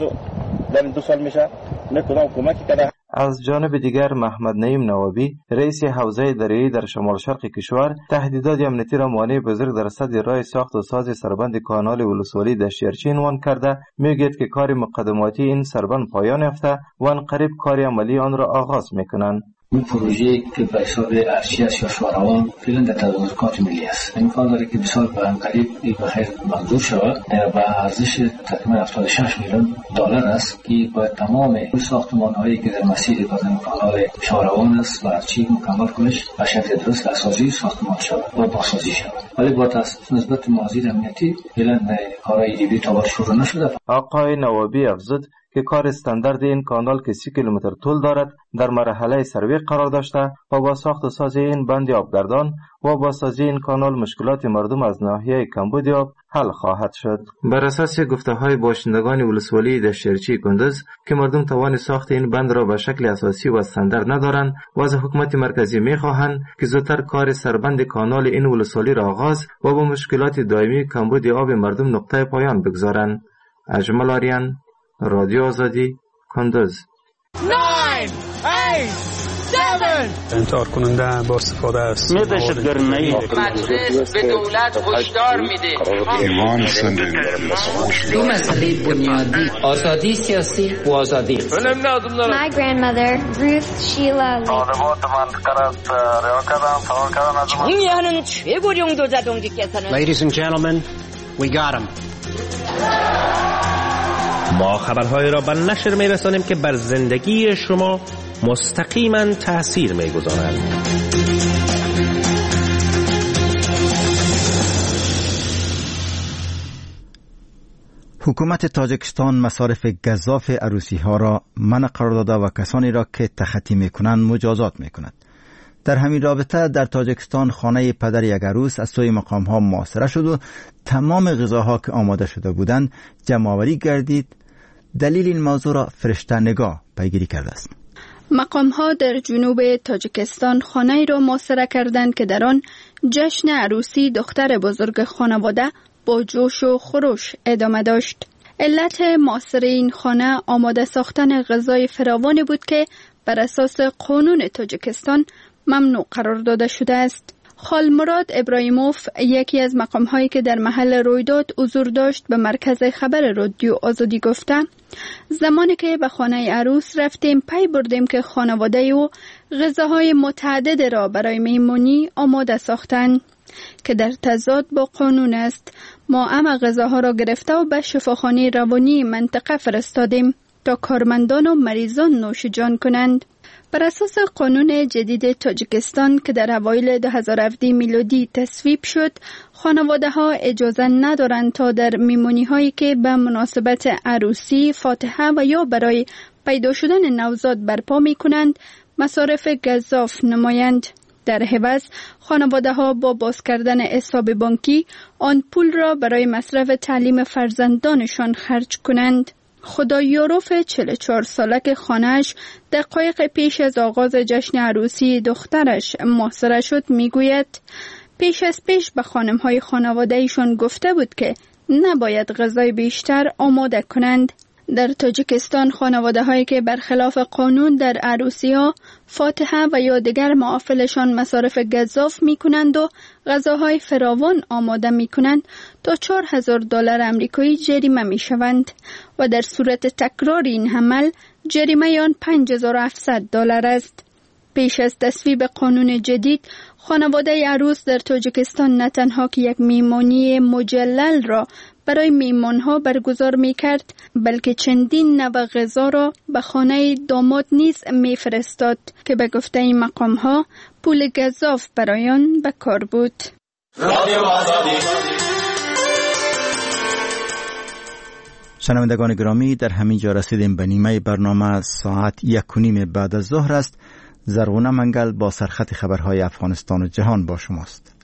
در دو سال میشه نه کدام کمکی کرده. از جانب دیگر محمد نعیم نوابی رئیس حوزه دریایی در شمال شرق کشور تهدیدات امنیتی را مانع بزرگ در سد راه ساخت و ساز سربند کانال ولسوالی دشت ارچی عنوان کرده میگوید که کار مقدماتی این سربند پایان یافته و ان قریب کار عملی آن را آغاز میکنند. این پروژه که به حساب ارچی است یا شاروان فعلا در تدارکات ملی است. امکان داره که بسیار به قریب به خیر منظور شود و ارزش تقریبا هفتاد و شش میلیون دلار است که باید تمام ساختمان هایی که در مسیر بازن کانال شاروان است و ارچی مکمل کنش به شکل درست اساسی ساختمان شود و بازسازی شود. ولی با نسبت معاذیر امنیتی فعلا کارهای دیگه تا شروع نشده. آقای نوابی افزود که کار استاندارد این کانال که سی کیلومتر طول دارد در مرحله سروی قرار داشته و با ساخت و ساز این بند آبگردان و با سازی این کانال مشکلات مردم از ناحیه کمبود آب حل خواهد شد. بر اساس گفته های باشندگان ولسوالی دشت ارچی کندز که مردم توان ساخت این بند را به شکل اساسی و استاندارد ندارند و از حکومت مرکزی می خواهند که زودتر کار سربند کانال این ولسوالی را آغاز و با مشکلات دائمی کمبود آب مردم نقطه پایان بگذارند. اجمل آریان، رادیو آزادی، کندز. نه، هشت، هفت انتحار کننده با استفاده از مجلس به دولت هشدار میده. دو مسئله بنیادی، آزادی سیاسی و آزادی. My grandmother, Ruth Sheila. 존경하는 최고 용도자 동지께서는 Ladies and gentlemen, we got him. ما خبرهای را به نشر می رسانیم که بر زندگی شما مستقیما تأثیر می گذارند. حکومت تاجیکستان مصارف گزاف عروسی ها را منع قرار داده و کسانی را که تخطی می کنند مجازات می کند. در همین رابطه در تاجیکستان خانه پدر یک عروس از سوی مقام ها محاصره شد و تمام غذاها که آماده شده بودند جمع آوری گردید. دلیل این موضوع را فرشته نگاه پیگیری کرده است. مقام ها در جنوب تاجیکستان خانه را محاصره کردند که در آن جشن عروسی دختر بزرگ خانواده با جوش و خروش ادامه داشت. علت محاصره این خانه آماده ساختن غذای فراوانی بود که بر اساس قانون تاجیکستان ممنوع قرار داده شده است. خالمراد ابراهیموف، یکی از مقام هایی که در محل رویداد حضور داشت، به مرکز خبر رادیو آزادی گفته: زمانی که به خانه عروس رفتیم، پی بردیم که خانواده او غذاهای متعدد را برای میمونی آماده ساختند که در تضاد با قانون است. ما همه غذاها را گرفته و به شفاخانه روانی منطقه فرستادیم تا کارمندان و مریضان نوش جان کنند. بر اساس قانون جدید تاجیکستان که در اوایل دو هزار و هفده میلادی تصویب شد، خانواده ها اجازه ندارند تا در میمونی هایی که به مناسبت عروسی، فاتحه و یا برای پیدا شدن نوزاد برپا می کنند، مصارف گزاف نمایند. در عوض خانواده ها با باز کردن حساب بانکی آن پول را برای مصرف تعلیم فرزندانشان خرج کنند. خدایاروف چهل و چهار ساله که خانه‌اش دقایق پیش از آغاز جشن عروسی دخترش محاصره شد، میگوید پیش از پیش به خانم‌های خانواده ایشان گفته بود که نباید غذای بیشتر آماده کنند. در تاجیکستان خانواده هایی که برخلاف قانون در عروسی ها، فاتحه و یا دیگر محافلشان مصارف گزاف می کنند و غذاهای فراوان آماده می کنند تا چهار هزار دلار امریکایی جریمه می شوند و در صورت تکرار این عمل جریمه آن پنج هزار و هفتصد دلار است. پیش از تصویب قانون جدید، خانواده عروس در تاجیکستان نه تنها که یک میمانی مجلل را برای میمانها برگزار می کرد، بلکه چندین نوع غذا را به خانه داماد نیز می فرستاد که به گفته این مقام ها پول گزاف برای آن به کار بود. شنوندگان گرامی، در همین جا رسیدیم به نیمه برنامه. ساعت یک و نیم بعد از ظهر است. زرغونه منگل با سرخط خبرهای افغانستان و جهان با شماست.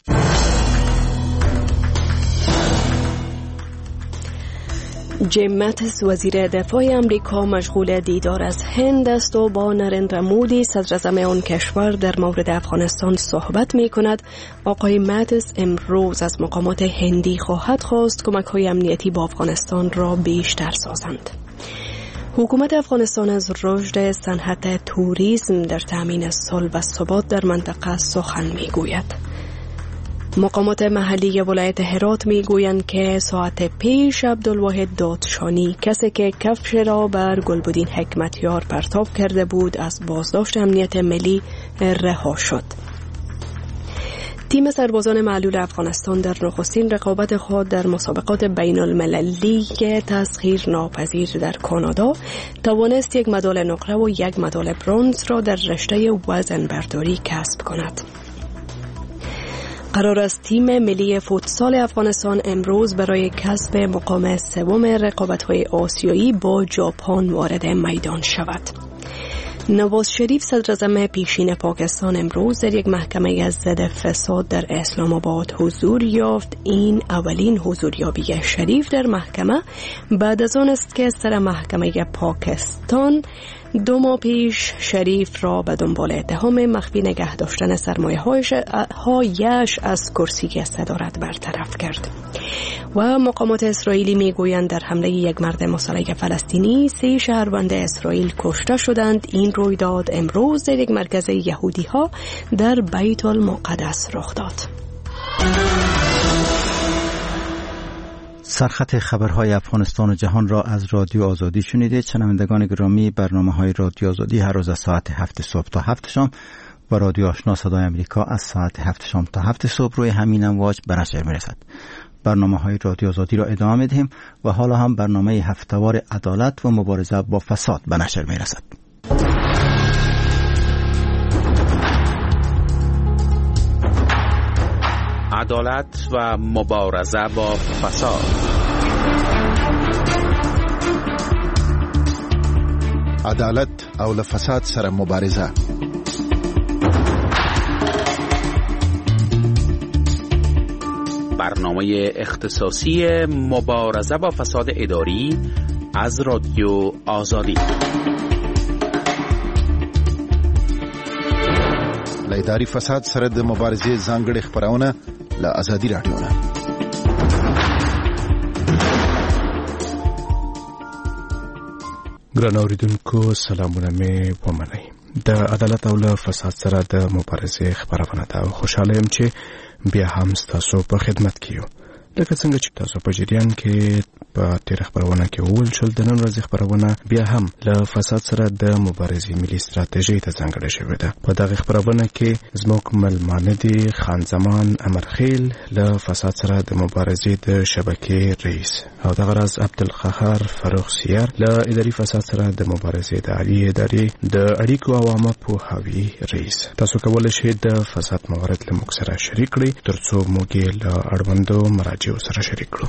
جیم ماتیس وزیر دفاع امریکا مشغول دیدار از هند است و با نرندرا مودی صدراعظم آن کشور در مورد افغانستان صحبت می کند. آقای ماتیس امروز از مقامات هندی خواهد خواست کمک های امنیتی با افغانستان را بیشتر سازند. حکومت افغانستان از رشد صنعت توریسم در تامین صلح و ثبات در منطقه سخن می گوید. مقامات محلی ولایت هرات می گویند که ساعت پیش عبدالواحد دادشانی، کسی که کفش را بر گلبدین حکمتیار پرتاب کرده بود، از بازداشت امنیت ملی رها شد. تیم سربازان معلول افغانستان در نخستین رقابت خود در مسابقات بین المللی تسخیر ناپذیر در کانادا توانست یک مدال نقره و یک مدال برنز را در رشته وزن برداری کسب کند. قرار است تیم ملی فوتسال افغانستان امروز برای کسب مقام سوم رقابت‌های آسیایی با ژاپن وارد میدان شود. نواز شریف صدراعظم پیشین پاکستان امروز در یک محکمه ضد فساد در اسلام آباد حضور یافت. این اولین حضوریابی شریف در محکمه بعد از آن است که سر محکمه پاکستان دو ماه پیش شریف را به دنبال اتهام مخفی نگه داشتن سرمایه هایش از کرسی صدارت برطرف کرد. و مقامات اسرائیلی میگویند در حمله یک مرد مسلح فلسطینی سه شهروند اسرائیل کشته شدند. این رویداد امروز در یک مرکز یهودی ها در بیت المقدس رخ داد. سرخط خبرهای افغانستان و جهان را از رادیو آزادی شنیدید. شنوندگان گرامی، برنامه‌های رادیو آزادی هر روز از ساعت هفت صبح تا هفت شام و رادیو آشنا صدای آمریکا از ساعت هفت شام تا هفت صبح روی همین امواج به نشر می‌رسد. برنامه‌های رادیو آزادی را ادامه می‌دهیم و حالا هم برنامه هفته‌وار عدالت و مبارزه با فساد به نشر می‌رسد. عدالت و مبارزه با فساد. عدالت او له فساد سره مبارزه. برنامه اختصاصی مبارزه با فساد اداری از رادیو آزادی. له اداري فساد سره د مبارزې ځانګړې خپرونه له ازادي راډیو نه. ګران اوریدونکو، سلامونه مې ومنئ. د عدالت او له فساد سره د مبارزې خپرونه ده او خوشحاله یم چې بیا هم ستاسو په خدمت کې یو. لکه څنګه چې تاسو په جریان کې په تېره خپرونه کې وویل شول، د نن ورځې خپرونه بیا هم له فساد سره د مبارزې ملي ستراتیژۍ ته ځانګړې شوې ده. په دغه خپرونه کې زموږ ملمانه دي خان زمان امرخیل له فساد سره د مبارزې د شبکې رئیس، او دغه راز عبدالقهار فرخ سیر له اداري فساد سره د مبارزې د عالي ادارې د اړیکو او عامه پوهاوي رئیس. تاسو کولی شئ د فساد موارد له موږ سره شریک کړئ ترڅو موږ یې له اړوندو مراجعو سره شریک کړو.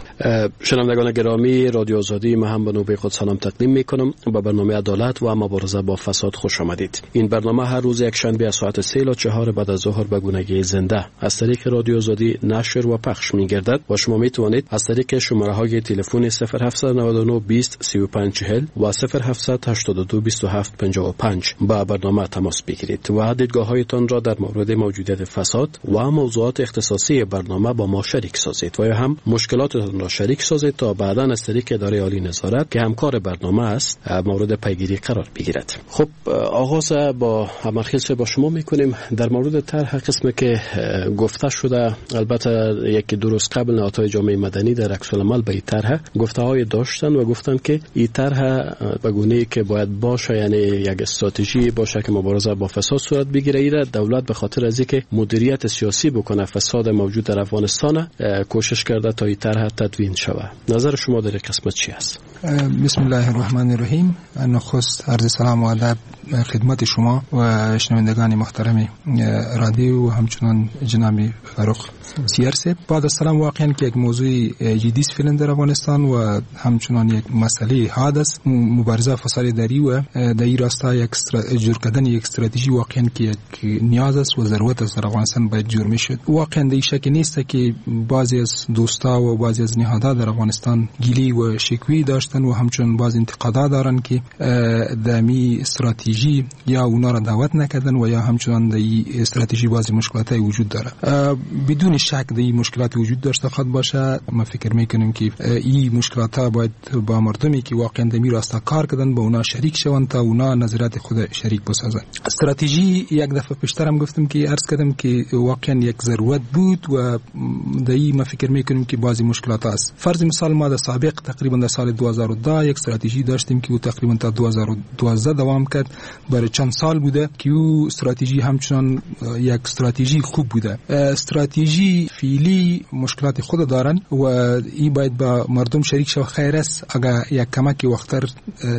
شنوندگان گرامی رادیو آزادی، من هم به نوبه خود سلام تقدیم میکنم. به برنامه عدالت و مبارزه با فساد خوش آمدید. این برنامه هر روز یک شنبه از ساعت سه تا چهار بعد از ظهر به گونگی زنده از طریق رادیو آزادی نشر و پخش میگردد و شما میتوانید از طریق شماره های تلفن صفر هفت نه نه بیست سی و پنج چهل و صفر هفت هشت دو بیست و هفت پنجاه و پنج با برنامه تماس بگیرید و دیدگاه هایتان را در مورد موجودیت فساد و موضوعات اختصاصی برنامه با ما شریک سازید و یا هم مشکلاتتان را شریک سازید تا بعدا بعدا از طریق اداره عالی نظارت که همکار برنامه است مورد پیگیری قرار بگیرد. خب آغاز با امرخیل با شما میکنیم در مورد طرح قسمی که گفته شده. البته یکی دو روز قبل نهادهای جامعه مدنی در عکس العمل به این طرح گفته های داشتن و گفتن که این طرح به گونه که باید باشه، یعنی یک استراتژی باشه که مبارزه با فساد صورت بگیره، ایره دولت به خاطر از اینکه مدیریت سیاسی بکنه فساد موجود در افغانستان کوشش کرده تا این طرح تدوین شود. نظر شما در این قسمت چی است؟ بسم الله الرحمن الرحیم. نخست عرض سلام و ادب خدمت شما و شنوندگان محترم رادیو و همچنان جناب فرخ سیر صاحب. بعد از سلام، واقعا که یک موضوع جدی است فعلا در افغانستان و همچنان یک مسئله حاد است، مبارزه فساد اداری و در این راستا یک جور کردن یک استراتژی واقعا که یک نیاز است و ضرورت است در افغانستان باید جور میشد. واقعا در این شک نیست که بعضی از دوستا و بعضی از نهادها در افغانستان گیلی و شکوی داشتن و همچنان بعضی انتقادات دارن که در می استراتژی یا اونا را دعوت نکردن و یا همچنان در این استراتژی بعضی مشکلات وجود داره. بدون شک در این مشکلات وجود داشته خود باشه. ما فکر میکنیم که این مشکلات ها باید با مردمی که واقعا در می راستا کار کردن با اونا شریک شوند تا اونا نظرات خود شریک بسازند. استراتژی یک دفعه پیشترم گفتم که عرض کردم که واقعا یک ضرورت بود و در این ما فکر میکنیم که بعضی مشکلات است. فرض مثال ما در سابق تقریبا در سال دو هزار و ده یک استراتژی داشتیم که او تقریبا تا دو هزار و دوازده دوام کرد، برای چند سال بوده که او استراتژی همچنان یک استراتژی خوب بوده. استراتژی فعلی مشکلات خود دارن و این باید با مردم شریک شو. خیر است اگر یک کمک وقتر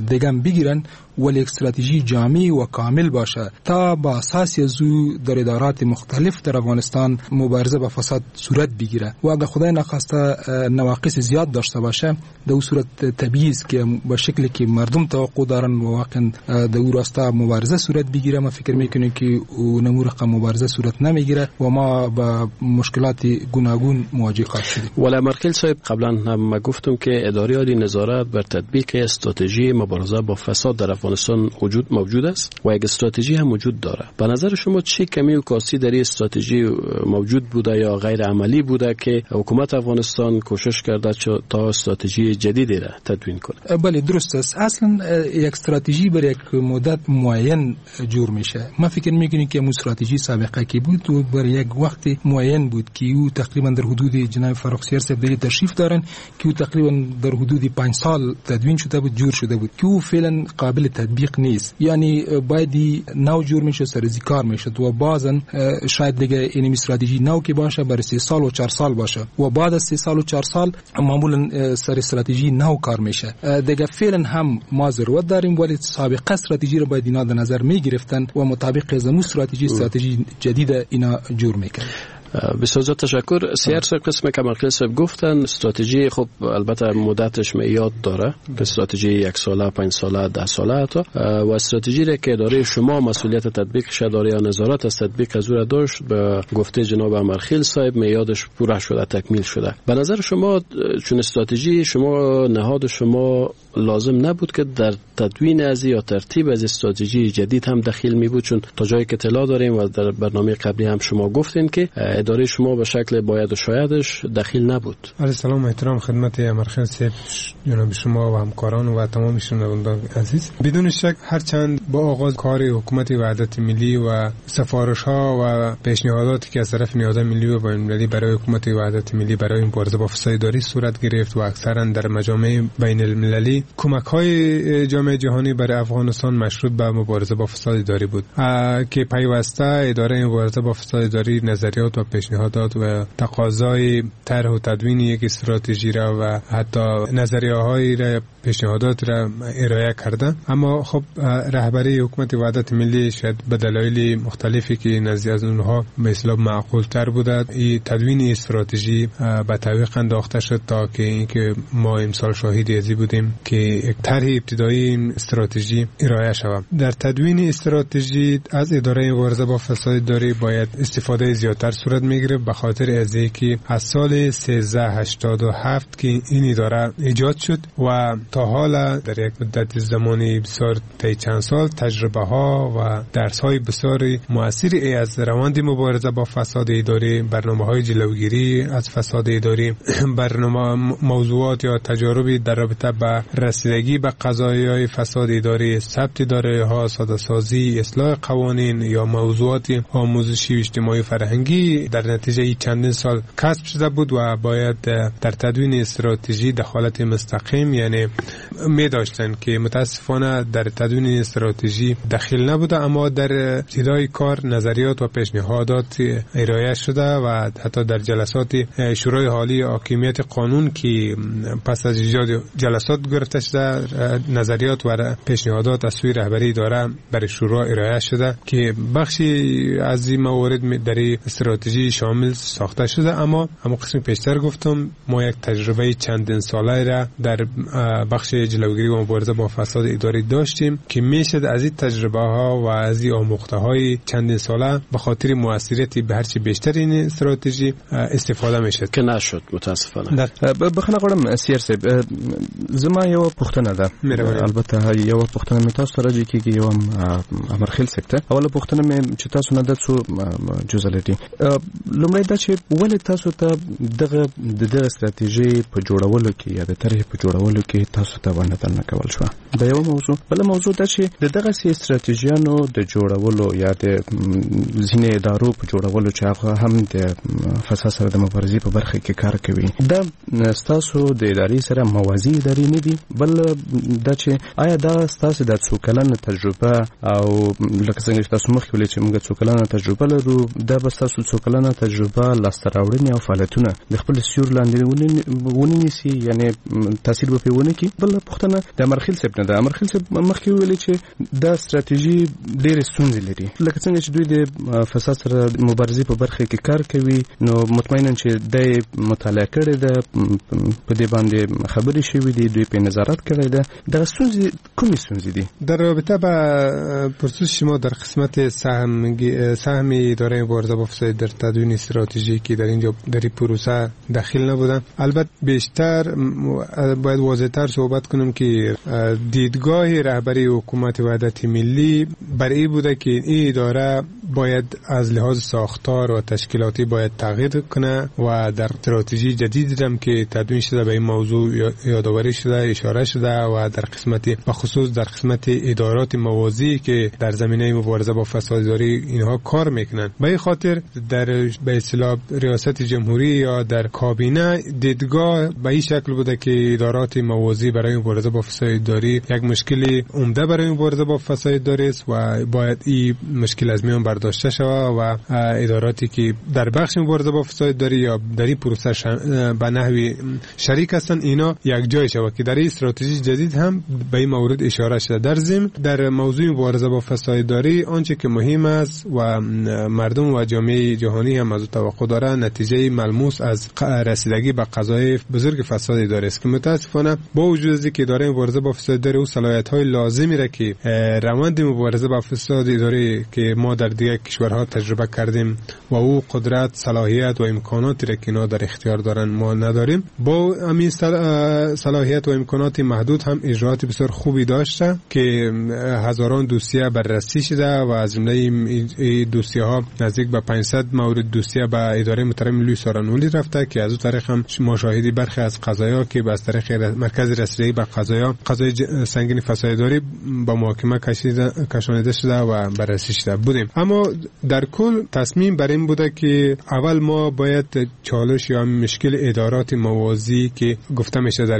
دیگه بگیرن، ولی استراتژی جامع و کامل باشه تا با اساس از او در ادارات مختلف در افغانستان مبارزه با فساد صورت بگیره و اگر خدای نخواسته نواقص زیاد داشته باشه در او صورت طبیعی است که با شکلی که مردم توقع دارن و واقعا در او راستا مبارزه صورت بگیره، ما فکر میکنیم که او نمو رقم مبارزه صورت نمیگیره و ما با مشکلات گوناگون مواجه خواهیم شدیم. ولی امرخیل صاحب قبلا هم گفتم که اداره عالی نظارت بر تطبیق استراتژی مبارزه با فساد در افغانستان وجود موجود است و یک استراتژی هم وجود داره. به نظر شما چه کمی و کاستی در این استراتژی موجود بوده یا غیر عملی بوده که حکومت افغانستان کوشش کرده تا استراتژی جدیدی را تدوین کنه؟ بله درست است. اصلا یک استراتژی بر یک مدت معین جور میشه. ما فکر میکنیم که استراتژی سابقه که بود و بر یک وقت معین بود که او تقریبا در حدود جناب فرخ سیر صاحب در تشریف دارن که او تقریبا در حدود پنج سال تدوین شده بود، جور شده بود که او فعلا قابل تطبیق نیست. یعنی باید نو جور میشه، سر از کار میشد و بازن شاید دیگه این استراتژی نو که باشه برای سه سال و چهار سال باشه و بعد از سه سال و چهار سال معمولا سر استراتژی نو کار میشه. دیگه فعلا هم ما ضرورت داریم، ولی سابقه استراتژی رو باید اینا در نظر میگرفتن و مطابق از استراتژی استراتژی جدید اینا جور میکرد. بسیار زیاد تشکر. سیر صاحب قسم که امرخیل صاحب گفتن استراتژی خب البته مدتش معیاد داره، استراتژی یک ساله، پنج ساله، ده ساله حتی، و استراتژی را که اداره شما مسئولیت تطبیقش داره یا نظارت از تطبیق از او را داشت، به گفته جناب امرخیل صاحب معیادش پوره شده، تکمیل شده. به نظر شما چون استراتژی شما نهاد شما لازم نبود که در تدوین از یا ترتیب از استراتژی جدید هم دخیل می بود؟ چون تا جایی که اطلاع داریم و در برنامه قبلی هم شما گفتین که اداره شما به شکل باید و شایدش دخیل نبود. عرض سلام و احترام خدمت امرخیل صاحب، جناب شما و همکاران و تمام شنوندگان عزیز. بدون شک هرچند با آغاز کار حکومت وحدت ملی و سفارش ها و پیشنهاداتی که از طرف نهادهای ملی و بین‌المللی برای حکومت وحدت ملی برای مبارزه با فساد اداری صورت گرفت و اکثرا در مجامع بین المللی کمک های جامعه جهانی برای افغانستان مشروط به مبارزه با فساد اداری بود که پیوسته اداره مبارزه با فساد اداری نظریات و پیشنهادات و تقاضای طرح و تدوین یک استراتژی را و حتی نظریه های را پیشنهادات را ارائه کردن. اما خب رهبری حکومت وحدت ملی شاید به دلایل مختلفی که نزدی از اونها به اصطلاح معقول تر بوده این تدوین استراتژی به تعویق انداخته شد تا که اینکه ما امسال شاهد ازی بودیم که طرح ابتدایی این استراتژی ارائه شود. در تدوین استراتژی از اداره مبارزه با فساد اداری باید استفاده زیادتر صورت صورت میگرفت، به خاطر از اینکه از سال سیزده هشتاد و هفت که این اداره ایجاد شد و تا حالا در یک مدت زمانی بسیار طی چند سال تجربه ها و درس های بسیار مؤثری از روند مبارزه با فساد اداری، برنامه های جلوگیری از فساد اداری، برنامه موضوعات یا تجاربی در رابطه با رسیدگی به قضایای فساد اداری، ثبت اداره ها، ساده سازی، اصلاح قوانین یا موضوعات آموزشی و اجتماعی فرهنگی در نتیجه چندین سال کسب شده بود و باید در تدوین استراتژی دخالت مستقیم یعنی می داشتن که متاسفانه در تدوین استراتژی دخیل نبوده، اما در ابتدای کار نظریات و پیشنهادات ارائه شده و حتی در جلسات شورای عالی حاکمیت قانون که پس از ایجاد جلسات گرفته شده نظریات و پیشنهادات از سوی رهبری اداره برای شورا ارائه شده که بخشی از این موارد در استراتژی شامل ساخته شده. اما اما قسم پیشتر گفتم ما یک تجربه چندین ساله را در بخش جلوگیری و مبارزه با فساد اداری داشتیم که میشد از این تجربه ها و از این آموخته های چندین ساله به خاطر موثریت به هرچی بیشتر این استراتژی استفاده میشد که نشد متاسفانه. بخنه غواړم سیر صاحب، زما یو پوښتنه ده، البته یو پوښتنه مې تاسو ته راځي کېږي، یو امرخیل صاحب ته. اوله پوښتنه مې چې تاسو نه د څو جزء لري. لومړی دا چې ولې تاسو ته دغه د دغه ستراتیژي په جوړولو کې یا د طرحې په جوړولو کې تاسو ته ونډه درنه کول شوه؟ دا یو موضوع. بله موضوع دا چې د دغسې ستراتیژیانو د جوړولو یا د ځینې ادارو په جوړولو چې هغه هم د فساد سره د مبارزې په برخه کې کار کوي، دا ستاسو د ادارې سره موازي ادارې نه دي؟ بل دا چې آیا دا ستاسو د څو کلنه تجربه او لکه څنګه چې تاسو مخکې ویل چې موږ څو کلنه تجربه لرو، دا به ستاسو څو کلنه تجربه لاسته راوړنې او فعالیتونه د خپل سیور لاندې ونه نیسي، یعنی تاثیر به پرې ونه کړي؟ بله پوښتنه د امرخیل صاحب نه ده. امرخیل صاحب مخکې ویل چې دا ستراتیژي ډېرې ستونزې لري، لکه څنګه چې دوی د فساد سره مبارزې په برخه کې کار کوي، نو مطمئنا چې دی مطالعه کړې ده، په دې باندې خبرې شوې دي، دوی په نظارت کړی ده. دغه ستونزې کومې ستونزې دي؟ در رابطه با پرسش شما در قسمت سهم سهم اداره مبارزه با فساد در تدوین استراتژی که در اینجا در این پروسه دخیل نبودن، البته بیشتر باید واضح‌تر صحبت کنم که دیدگاه رهبری حکومت وحدت ملی بر این بوده که این اداره باید از لحاظ ساختار و تشکیلاتی باید تغییر کنه و در استراتژی جدید هم که تدوین شده به این موضوع یادآوری شده، اشاره شده و در قسمت به خصوص در قسمت ادارات موازی که در زمینه مبارزه با فساد اداری اینها کار میکنن. به این خاطر در به اصطلاح ریاست جمهوری یا در کابینه دیدگاه به این شکل بوده که ادارات موازی برای مبارزه با فساد اداری یک مشکل عمده برای مبارزه با فساد اداری است و باید این مشکل از میان برداشته شود و اداراتی که در بخش مبارزه با فساد اداری یا در این پروسه به نحوی شریک هستند اینا یک جای شود که در این استراتژی جدید هم به این مورد اشاره شده. در ضمن در موضوع مبارزه با فساد اداری آنچه که مهم است و مردم و جامعه جهانی هم از او توقع دارند نتیجه ملموس از رسیدگی به قضایای بزرگ فساد اداری است که متاسفانه با وجود از اینکه اداره مبارزه با فساد اداری او صلاحیت‌های لازمی را که روند مبارزه با فساد اداری که ما در دیگر کشورها تجربه کردیم و او قدرت، صلاحیت و امکاناتی را که اینا در اختیار دارن ما نداریم، با همین صلاحیت و امکانات محدود هم اجرات بسیار خوبی داشته که هزاران دوسیه بررسی شده و از جمله این دوسیه ها نزدیک به پانصد مورد دوسیه به اداره محترم لوی سارنولی رفته که از او طریق هم ما شاهدی برخی از قضایا که از طریق مرکز رسیدگی به قضایا قضای سنگین فساد اداری با محاکمه کشانیده شده و بررسی شده بودیم. اما در کل تصمیم بر این بوده که اول ما باید چالش یا مشکل ادارات موازی که گفته میشه در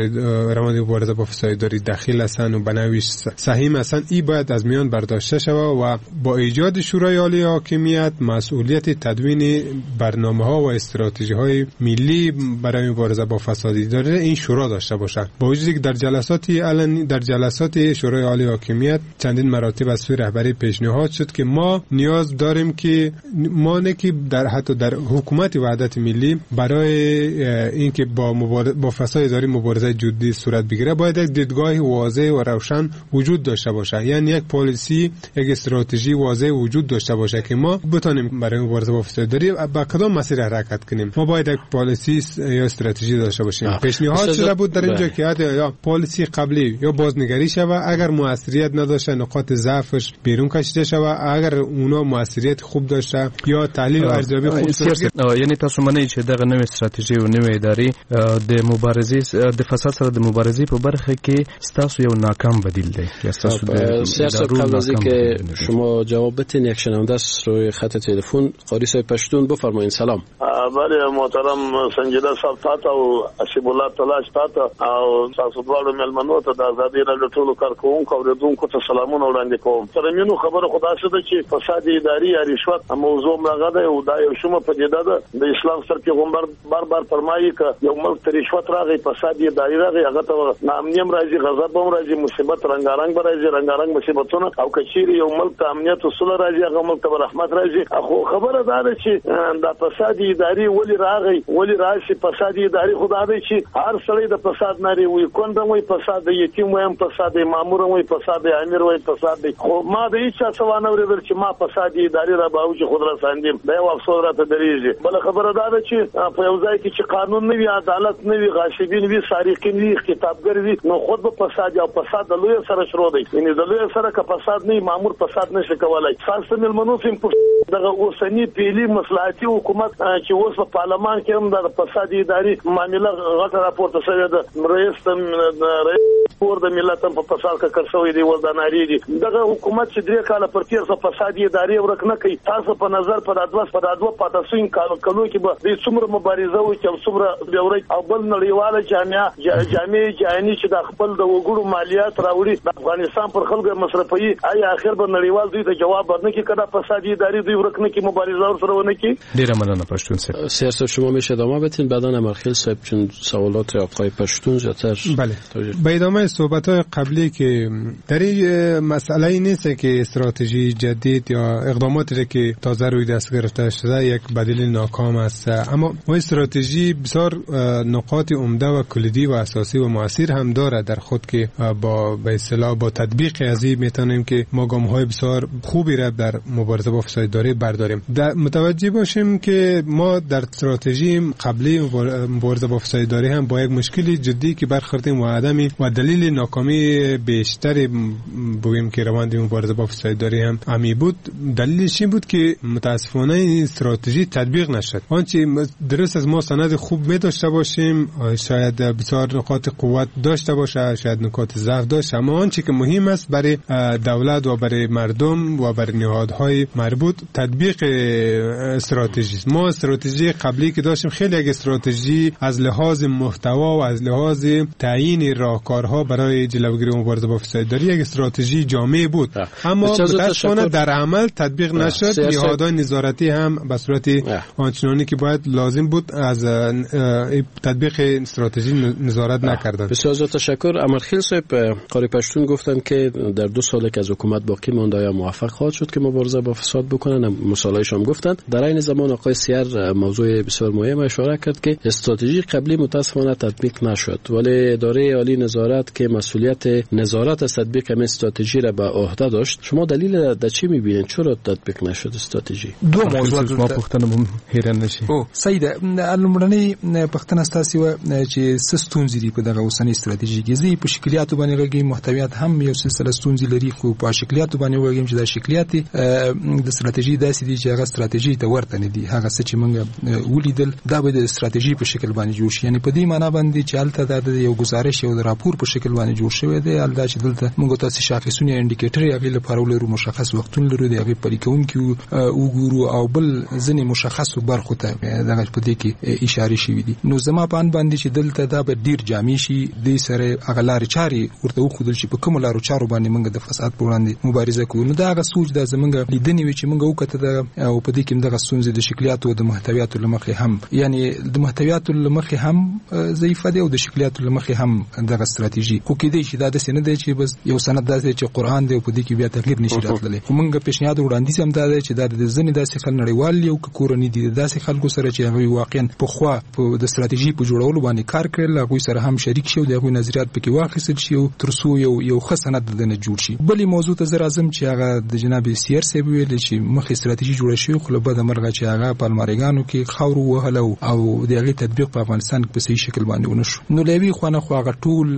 روند مبارزه با فساد اداری دخیل هستند و به نوعی سهیم هستند، این باید از میان برداشته شود و با ایجاد شورای عالی حاکمیت مسئولیت تدوین برنامه ها و استراتژی های ملی برای مبارزه با فساد اداری این شورا داشته باشد. با وجودی که در جلسات علنی در جلسات شورای عالی حاکمیت چندین مراتب از سوی رهبری پیشنهاد شد که ما نیاز نیاز داریم که ما نه که در حتی در حکومت وحدت ملی برای اینکه با مبار... با فساد اداری مبارزه جدی صورت بگیره باید یک دیدگاه واضح و روشن وجود داشته باشه، یعنی یک پالیسی، یک استراتژی واضح وجود داشته باشه که ما بتونیم برای مبارزه با فساد اداری با کدام مسیر حرکت کنیم. ما باید یک پالیسی یا استراتژی داشته باشیم. پیشنهاد شده بود در اینجا که یا پالیسی قبلی یا بازنگری شود، اگر موثریت نداشته نقاط ضعفش بیرون کشیده شود، اگر اونا موثریت خوب داشته یا تحلیل و ارزیابی خوب داشته. یعنی تاسو منئ چې دغه نوې ستراتیژي او نوې ادارې د مبارزې د فساد سره د مبارزې په برخه کې ستاسو یو ناکام بدیل دی یا ستاسو د سیاست؟ قبل از اینکه شما جواب بدین یک شنونده است روی خط تلفن، قاری صاحب پشتون، بفرمایید. سلام. بله محترم سنجیده صاحب تاته او حسیب الله تلاش تاته او تاسو دواړو مېلمنو ته د ازادي راډیو ټولو کارکوونکو اورېدونکو ته سلامونه وړاندې کوم. ترمینو خبره خو داسې ده چې فساد اداري یا رشوت موضوع هغه ده او دا یو شومه پدیده ده. د اسلام ستر پیغمبر بار بار فرمایي که یو ملک ته رشوت راغی، فساد اداري راغی، هغه ته ناامني هم راځي، غضب هم راځي، مصیبت رنګارنګ به راځي، رنګارنګ مصیبتونه، او که چیرې یو ملک ته امنیت او سوله راځي هغه ملک ته به رحمت راځي. خو خبره دا ده چې دا فساد اداري ولې راغی، ولې راشي؟ فساد اداري خو دا دی چې هر سړی د فساد نارې وي، کونډه وي فساد دی، یتیم وي هم فساد دی، مامور وي فساد دی، امیر وي فساد دی. خو ما د هیچا څه وانه اورېدل چې ما فساد اداري را باوجي خود رساندیم، دا یو افسوس راته درېږي. بله خبره دا ده چې په یو ځای کې چې قانون نه وي، عدالت نه وي، غاصبین وي، سارقین وي، اختطافګر وي، نو خود به فساد او فساد د لوی سره شروع دی. یعنې د لوی سره که فساد نه وي مامور فساد نشي کولای. تاسو مېلمنو ته دغه اوسنی پیلي مصلحتي حکومت چې اوس په پارلمان کې هم د فساد اداري معامله غټه راپورته شوې ده، رئیس رئیس کور د ملت هم په فساد ککړ شوی دی، اوس دا نارې دي. دغه حکومت چې درې کاله پر تېر شو فساد اداري ورک نه کوي، تاسو په نظر په دا دوه په دا دوه پاتې شوي کلو کې به دوی څومره مبارزه وکړي او څومره به ورک او بل نړیواله جامعه جامع جهاني چې د خپل د وګړو مالیات راوړي د افغانستان پر خلکو مصرفوي، آیا اخر به نړیوال دوی ته جواب ورنه کړي که دا فساد اداري دوی ورک نه کړي، مبارزه ورسره ونه کړي؟ ډیره مننه پښتون صاحب. سیاست صاحب شما میشه ادامه بدین، بعدا امرخیل صاحب چون سوالات آقای پشتون زیادتر. بله، به ادامه صحبت‌های قبلی که در این مسئله نیست که استراتژی جدید یا اقداماتی که تازه روی دست گرفته شده یک بدیل ناکام است، اما و استراتژی بسیار نقاط عمده و کلیدی و اساسی و مؤثر هم داره در خود که با به اصطلاح با تطبیق از این میتونیم که ما گام‌های بسیار خوبی را در مبارزه با فساد اداری برداریم. در متوجه باشیم که ما در استراتژی قبلی مبارزه با فساد اداری هم با یک مشکل جدی که برخوردیم و عدم و دلیل ناکامی بیشتر بگیم که روند مبارزه با فساد اداری هم امی بود، دلیلش این بود که متاسفانه این استراتژی تطبیق نشد. آنچه درست از ما سند خوب می داشته باشیم، شاید بسیار نقاط قوت داشته باشه، شاید نقاط ضعف داشته، اما آنچه که مهم است برای دولت و برای مردم و برای نهادهای مربوط تطبیق استراتژی است. ما استراتژی قبلی که داشتیم خیلی یک استراتژی از لحاظ محتوا و از لحاظ تعیین راهکارها برای جلوگیری مبارزه با فساد اداری یک استراتژی جامع بود، اما متاسفانه در عمل تطبیق نشد. نهادهای نظارتی هم به صورت آنچنانی که باید لازم بود از تطبیق استراتژی نظارت نکردند. بسیار زیاد تشکر. امرخیل صاحب، قاری پشتون گفتند که در دو سال که از حکومت باقی مانده آیا موفق خواهد شد که مبارزه با فساد بکنن؟ مثالایش هم گفتند. در عین زمان آقای سیر موضوع بسیار مهم اشاره کرد که استراتژی قبلی متاسفانه تطبیق نشد، ولی اداره عالی نظارت که مسئولیت نظارت از تطبیق این استراتژی را به عهده داشت، شما دلیل در چی می‌بینید چرا تطبیق نشد استراتژی؟ دو موضوع ما پوښتنه مو هیره نشي. او صحیح ده. لومړنۍ پوښتنه ستاسو وه چې څه ستونزې دي په دغه اوسنۍ استراتژي کې. زه په شکلیاتو باندې غږېږم، محتویات هم یو سلسله ستونزې لري، خو په شکلیاتو باندې وغږېږم چې دا شکلیات د استراتژي داسې دي چې هغه استراتژي ته ورته نه دي. هغه څه چې موږ ولیدل دا به د استراتژي په شکل باندې جوړ شي، یعنی په دې معنا باندې چې هلته دا د یو گزارش یو د راپور په شکل باندې جوړ شوی دی. هلته چې دلته موږ تاسو شاخصونه indicator هغې لپاره ولرو، مشخص وختونه لرو، د هغې پلي کوونکي وګورو او بل ځینې مشخصو برخو ته دغه په دې کې اشارې شوې دي. نو زما په اند باندې چې دلته دا به ډیر جامع شي، دې سره هغه لارې چارې ورته وښودل شي په کومو لارو چارو باندې موږ د فساد په وړاندې مبارزه کوو. نو دا هغه سوچ دا زموږ لیدنې وي چې موږ وکته او په دې کې دغه ستونزې د شکلیاتو او د محتویاتو له مخې هم، یعنی د محتویاتو له مخې هم ضعیفه دی او د شکلیاتو له مخې هم دغه استراتیژي ستراتیژي خو کېدای شي دا داسې نه دی چې بس یو سند داسې چې قرآن دی او په دې کې بیا تغییر نشي راتللی. خو موږ پیشنهاد وړاندیز هم دا دی چې دا د ځینې داسې خلک نړیوال یو که کورني دي، داسې خلکو سره چې هغوی واقعا پخوا په د ستراتیژي په جوړولو باندې کار کړی، له هغوی سره هم شریک شي او د هغوی نظریات پکې واخیستل شي او تر څو یو یو ښه سند دنه جوړ شي. بلې موضوع ته زه راځم چې هغه د جناب سیر صاحب ویل چې مخکې ستراتیژي جوړه شوې، خو له بده مرغه چې هغه په الماریګانو کې خاورو وهله او د هغې تطبیق په افغانستان کې په صحیح شکل باندې ونه شو. نو له یوې خوا نه خو هغه ټول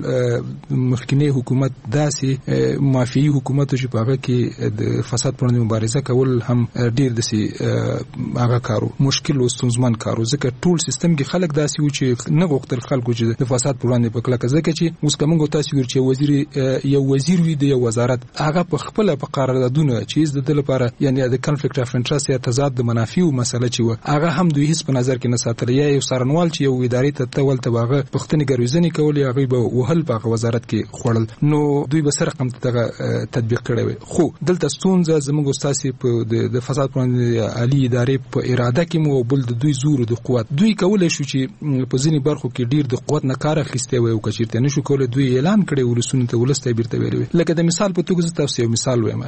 مخکنی حکومت داسې مافیایي حکومت چې په هغه کې د فساد پر وړاندې مبارزه کول هم ډېر داسې هغه کارو مشکل او ستونزمن کارو، ځکه ټول سیستم کې خلک داسې وو چې نه غوښتل خلکو چې د فساد پر وړاندې په کلکه، ځکه چې اوس که موږ تاسو ګورو چې وزیر یو وزیر وي د یو وزارت، هغه په خپله په قراردادونه چې هیڅ د ده لپاره یعنی د conflict of interest یا تضاد د منافعو مسله چې وه هغه هم دوی هیڅ په نظر کې نه ساتله، یا یو څارنوال چې یو ادارې ته ته ولته به هغه پوښتنې ګروېزنې کولې، هغوی به وهل په هغه وزارت کې خوړل، نو دوی به سره رقم دغه تطبیق کړی وي. خو دلته ستونزه زموږ ستاسې په د فساد پر وړاندې عالي ادارې په اراده کې مو بل د دوی زور د قوت، دوی کولی شو چې په ځینې برخو کې ډیر د قوت نه کار اخیستی وای او که چېرته نه شو کولی دوی اعلان کړی ولسونو ته، ولس ته یې بېرته ویلی وای. لکه د مثال په توګه زه تاسو یو مثال وایم،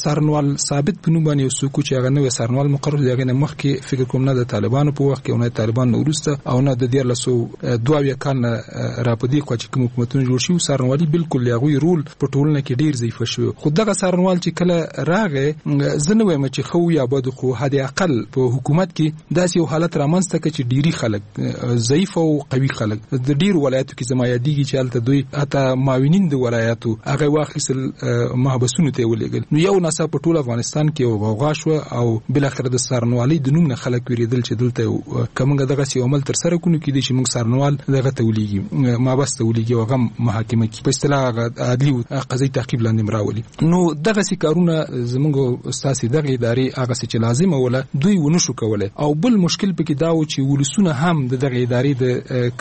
څارنوال ثابت په نوم باندې یو څوک چې هغه نوی څارنوال مقرر د هغې نه مخکې فکر کوم نه د طالبانو په وخت کې او نه د طالبانو نه وروسته او نه د دیارلس سوه دوه اویا کال نه را په دې خوا چې کوم حکومتونه جوړ شوي، څارنوالي بالکل د هغوی رول په ټولنه کې ډیر ضعیفه شوی. خو دغه څارنوال چې کله راغی، زه نه وایم چې ښه و یا بد، خو حد اقل په حکومت کې داسې یو حالت رامنځته کړ چې ډیری خلک ضعیف او قوي خلک د ډیرو ولایاتو کې زما یادېږي چې هلته دوی حتی معاونین د ولایاتو هغه واخیستل محبسونو ته یې ولېږل. نو یو ناڅاپه په ټول افغانستان کې یو غوغا شوه او بالاخره د څارنوالۍ د نوم نه خلک وېرېدل چې دلته که موږ دغسې یو عمل ترسره کړو نو کېدای شي موږ څارنوال دغه ته ولېږي، محبس ته ولېږي او هغه محاکمه کړي، په اصطلاح هغه عدلي قضایي تعقیب لاندې هم راولي. نو دغسې کارونه زموږ ستاسې دغې ادارې هغسې چې لازمه وله دوی ونه شو کولی. او بل مشکل پکې دا و چې ولسونه هم د دغې ادارې د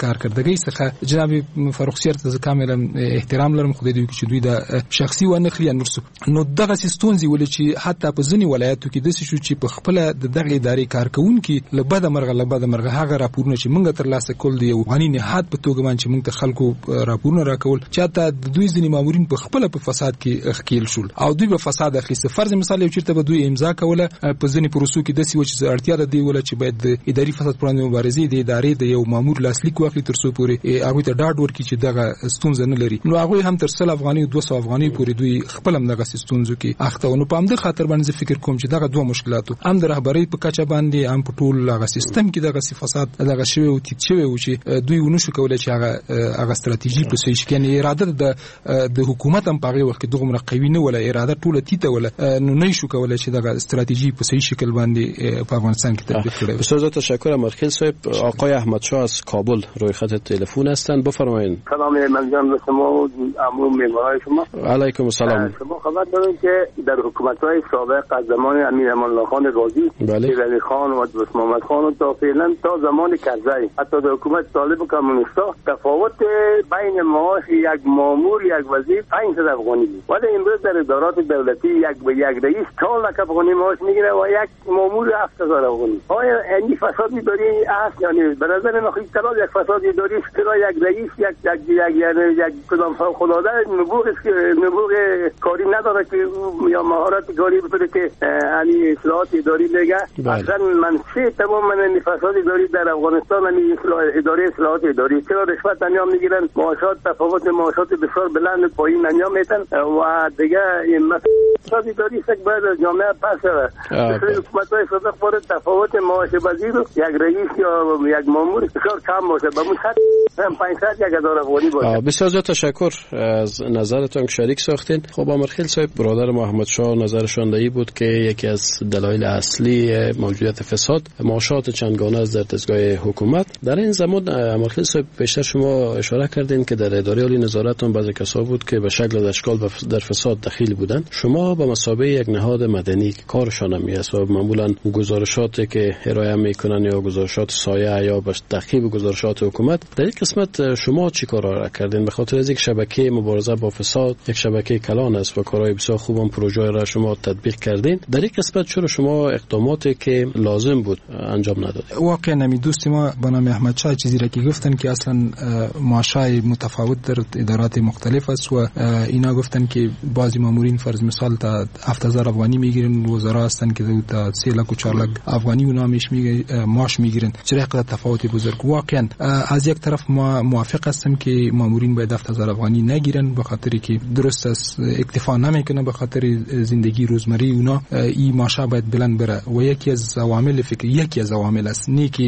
کارکردګۍ څخه، جناب فرخ سیر ته زه کاملا احترام لرم، خدای دې وکړي چې دوی دا شخصي وانخلي یا نور څه، نو دغسې ستونزې ولې چې حتی په ځینې ولایاتو کې داسې شو چې په خپله د دغې ادارې کارکوونکي له بده مرغه له بده مرغه هغه راپورونه چې موږ ترلاسه کول د یو غني نهاد په توګه باندې چې موږ ته خلکو راپورونه راکول چې حتی د دوی ځینې مامورین په خپله په فساد کې ښکېل شول او دوی به فساد اخیسته. فرض مثال یو چېرته به دوی امضا کوله، په ځینې پروسو کې داسې وه چې اړتیا د دې وله چې باید د اداري فساد پر وړاندې مبارزې د ادارې د یو مامور لاسلیک واخلي تر څو پورې هغوی ته ډاډ ورکړي چې دغه ستونزه نه لري. نو هغوی هم تر سل افغانۍ دوه سوه افغانۍ پورې دوی خپل هم دغسې ستونزو کې اخته وو. نو په همدې خاطر باندې زه فکر کوم چې دغه دوه مشکلاتو هم د رهبرۍ په کچه باندې هم په ټول هغه سیستم کې دغسې فساد دغه شوی او تیت شوی و چې دوی ونه شو کولی چې هغه هغه ستراتیژي په صحیح شکل، یعنې اراده د د حکومت هم په هغې وخت کې دغومره قوي نه وله، اراده ټوله تیته وله، نو نه شو کولی چې دغه ستراتیژي په صحیح شکل باندې په افغانستان کې تطبیق کړی. استاد تشکر امرخیل صاحب. آقای احمد شاه از کابل روی خط تلفن هستند، بفرمایید. سلام من جان به شما و عموم مهمانای شما. علیکم السلام. شما خبر دارید که در حکومت‌های سابق از زمان امیر امان الله خان غازی، ولی خان و دوست محمد خان و تا فعلا تا زمان کرزی، حتی در حکومت طالب و کمونیستا تفاوت بین معاش یک مامور یک وزیر پانصد افغانی بود، ولی امروز در ادارات دولتی یک به یک رئیس چهار لک افغانی معاش میگیره و یک مامور هفت هزار افغانی. آیا این فساد اداری است؟ یعنی به نظر من خیلی یک فساد اداری است که یک رئیس یک یک یک یعنی یک کدام فوق العاده نبوغ نبوغ کاری نداره که یا مهارت کاری بتونه که یعنی اصلاحات اداری بگه. اصلا منشأ تمام من فساد اداری در افغانستان همین اداره اصلاحات اداری، چرا رشوت انجام میگیرن، معاشات تفاوت معاشات بسیار بلند پایین انجام میتن و دیگه این فساد اداری است که باید جامعه پس شود. حکومت‌های سابق باید تفاوت معاش وزیر یک رئیس یا یک مامور بسیار کم باشه، به مون پانصد یک هزار افغانی باشه. بسیار زیاد تشکر از نظرتان که شریک ساختین. خب امرخیل صاحب، برادر محمد شاه نظرشان دایی بود که یکی از دلایل اصلی موجودیت فساد معاشات چندگانه است در دستگاه حکومت. در این زمان امرخیل صاحب پیشتر شما اشاره کردین که در اداره عالی نظارتون بعضی کسا بود که به شکل اشکال در فساد دخیل بودند. شما به مثابه یک نهاد مدنی که کارشان هم است و معمولا گزارشاتی که ارائه میکنن یا گزارشات سایه یا به تعقیب گزارشات حکومت، در این قسمت شما چی کارا را کردین؟ به خاطر از یک شبکه مبارزه با فساد یک شبکه کلان است و کارهای بسیار خوب هم پروژه را شما تطبیق کردین. در این قسمت چرا شما اقداماتی که لازم بود انجام ندادید؟ واقعا نمی دوست ما به نام احمد شاه چیزی را که گفتن که اصلا معاشای متفاوت در ادارات مختلف است و اینا گفتن که بعضی مامورین فرض مثال تا هفت هزار افغانی میگیرن، وزرا هستن که تا سه لک و چهار لک افغانی اونا میش میگه معاش میگیرن. چرا اینقدر تفاوت بزرگ؟ واقعا از یک طرف ما موافق هستم که مامورین باید هفت هزار افغانی نگیرن، به خاطر که درست است اکتفا نمیکنه، به خاطر زندگی روزمره اونا این معاش باید بلند بره و یکی از عوامل فکر یکی از عوامل است، نه که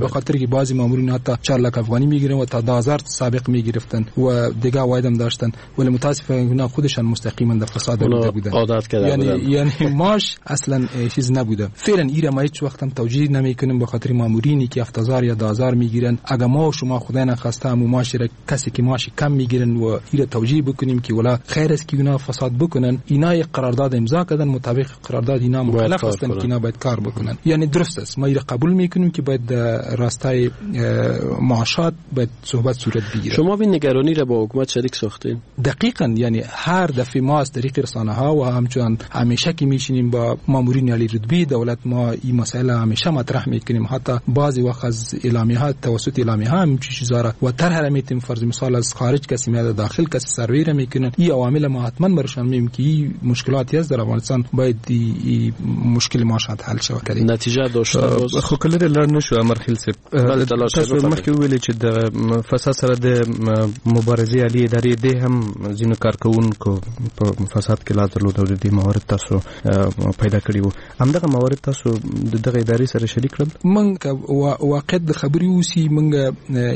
به خاطر که بعضی مامورین حتی چهار لک افغانی میگیرن و تا ده هزار سابق میگرفتن و دیگه عواید داشتن، ولی متاسفانه اونا خودشان مستقیما در فساد بوده بودن، عادت کرده یعنی بودن. یعنی معاش اصلا چیز نبوده. فعلا ایره ما هیچ وقت هم توجیه نمیکنیم به خاطر مامورینی که هفت هزار یا ده هزار میگیرن. اگه ما و شما خدای نخواسته هم معاش را کسی که معاش کم میگیرن و ایره توجیه بکنیم که ولا خیر است که اونا فساد بکنن، اینا یک قرارداد امضا کردن، مطابق قرارداد اینا مکلف هستن که اینا باید کار بکنن. یعنی درست است، ما ایره قبول میکنیم که باید راستای معاشات باید صحبت صورت بگیره. شما این نگرانی را با حکومت شریک ساختین؟ دقیقاً، یعنی هر دفعه ما از طریق رسانه ها و همچنان همیشه که میشینیم با مامورین عالی رتبه دولت ما این مسائل همیشه مطرح میکنیم. حتی بعضی وقت از اعلامیه ها توسط اعلامیه ها هم چیزا را و طرح را میتیم، فرض مثال از خارج کسی میاد داخل کسی سروی را میکنن. این عوامل ما حتما برشان میگیم که این مشکلاتی است در افغانستان، باید این مشکل معاشات حل شود. نتیجه داشته باز خو کله لړ نشو امرخیل صاحب. تاسو مخکې ویل چې د فساد سره د مبارزې عالی ادارې د هم ځینو کارکوونکو په فساد کې لاس درلود او د دې موارد تاسو پیدا کړي وو، همدغه موارد تاسو د دغه ادارې سره شریک کړل؟ موږ واقعیت د خبرې اوسي، موږ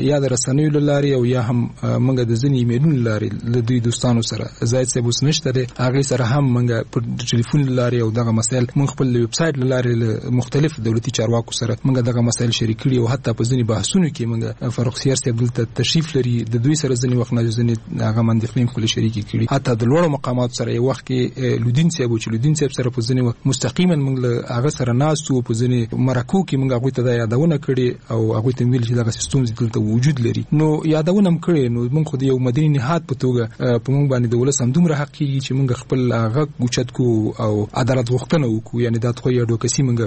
یا د رسنیو له لارې او یا هم موږ د ځینې ایمیلونو له لارې له دوی دوستانو سره، زاهد صاحب اوس نشته دی، هغې سره هم موږ په ټلیفون له لارې او دغه مسایل موږ خپل ویب سایټ له لارې له مختلف دولتي چارواکو سره موږ دغه مسایل شریک کړي او حتی په ځینې بحثونو کې موږ فرخ سیر صاحب دلته تشریف لري، د دوی سره ځینې وخت نه ځینې هغه اندېښنې خپل شریکې کړي. حتی د لوړو مقاماتو سره یو وخت کې لودین صاحب چې لودین صاحب سره په ځینې وخت مستقیما موږ له هغه سره ناست وو، په ځینې مرکو کې موږ هغوی ته دا یادونه کړې او هغوی ته ویل چې دغه ستونزې دلته وجود لري، نو یادونه هم کړې. نو موږ خو د یو مدني نهاد په توګه په موږ باندې د ولس هم دومره حق کېږي چې موږ خپل غږ اوچت کړو او عدالت غوښتنه وکړو، یعنې دا خو یو اډوکسي موږ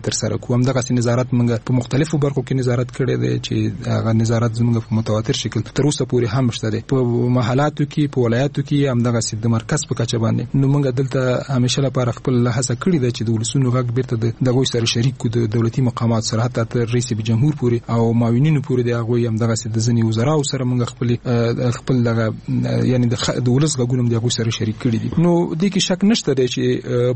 ترسره کړو. همدغسې نظارت موږ په مختلفو برخو کې نظارت کړی دی چې هغه نظارت زموږ په متواتر شکل تر اوسه پورې هم شته دی، په محلاتو کې، په ولایاتو کې، همدغسې د مرکز په کچه باندې. نو موږ دلته همیشه لپاره خپل هڅه کړې ده چې د ولسونو غږ بیرته د دغوی سره شریک کړو، د دولتي مقامات سره، حتی تر رئیس جمهور پورې او معاونینو پورې د هغوی همدغسې د ځینې وزراو سره موږ خپل خپل دغه یعنې د ولس غږونه د هغوی سره شریک کړي دي. نو دې کې شک نشته دی چې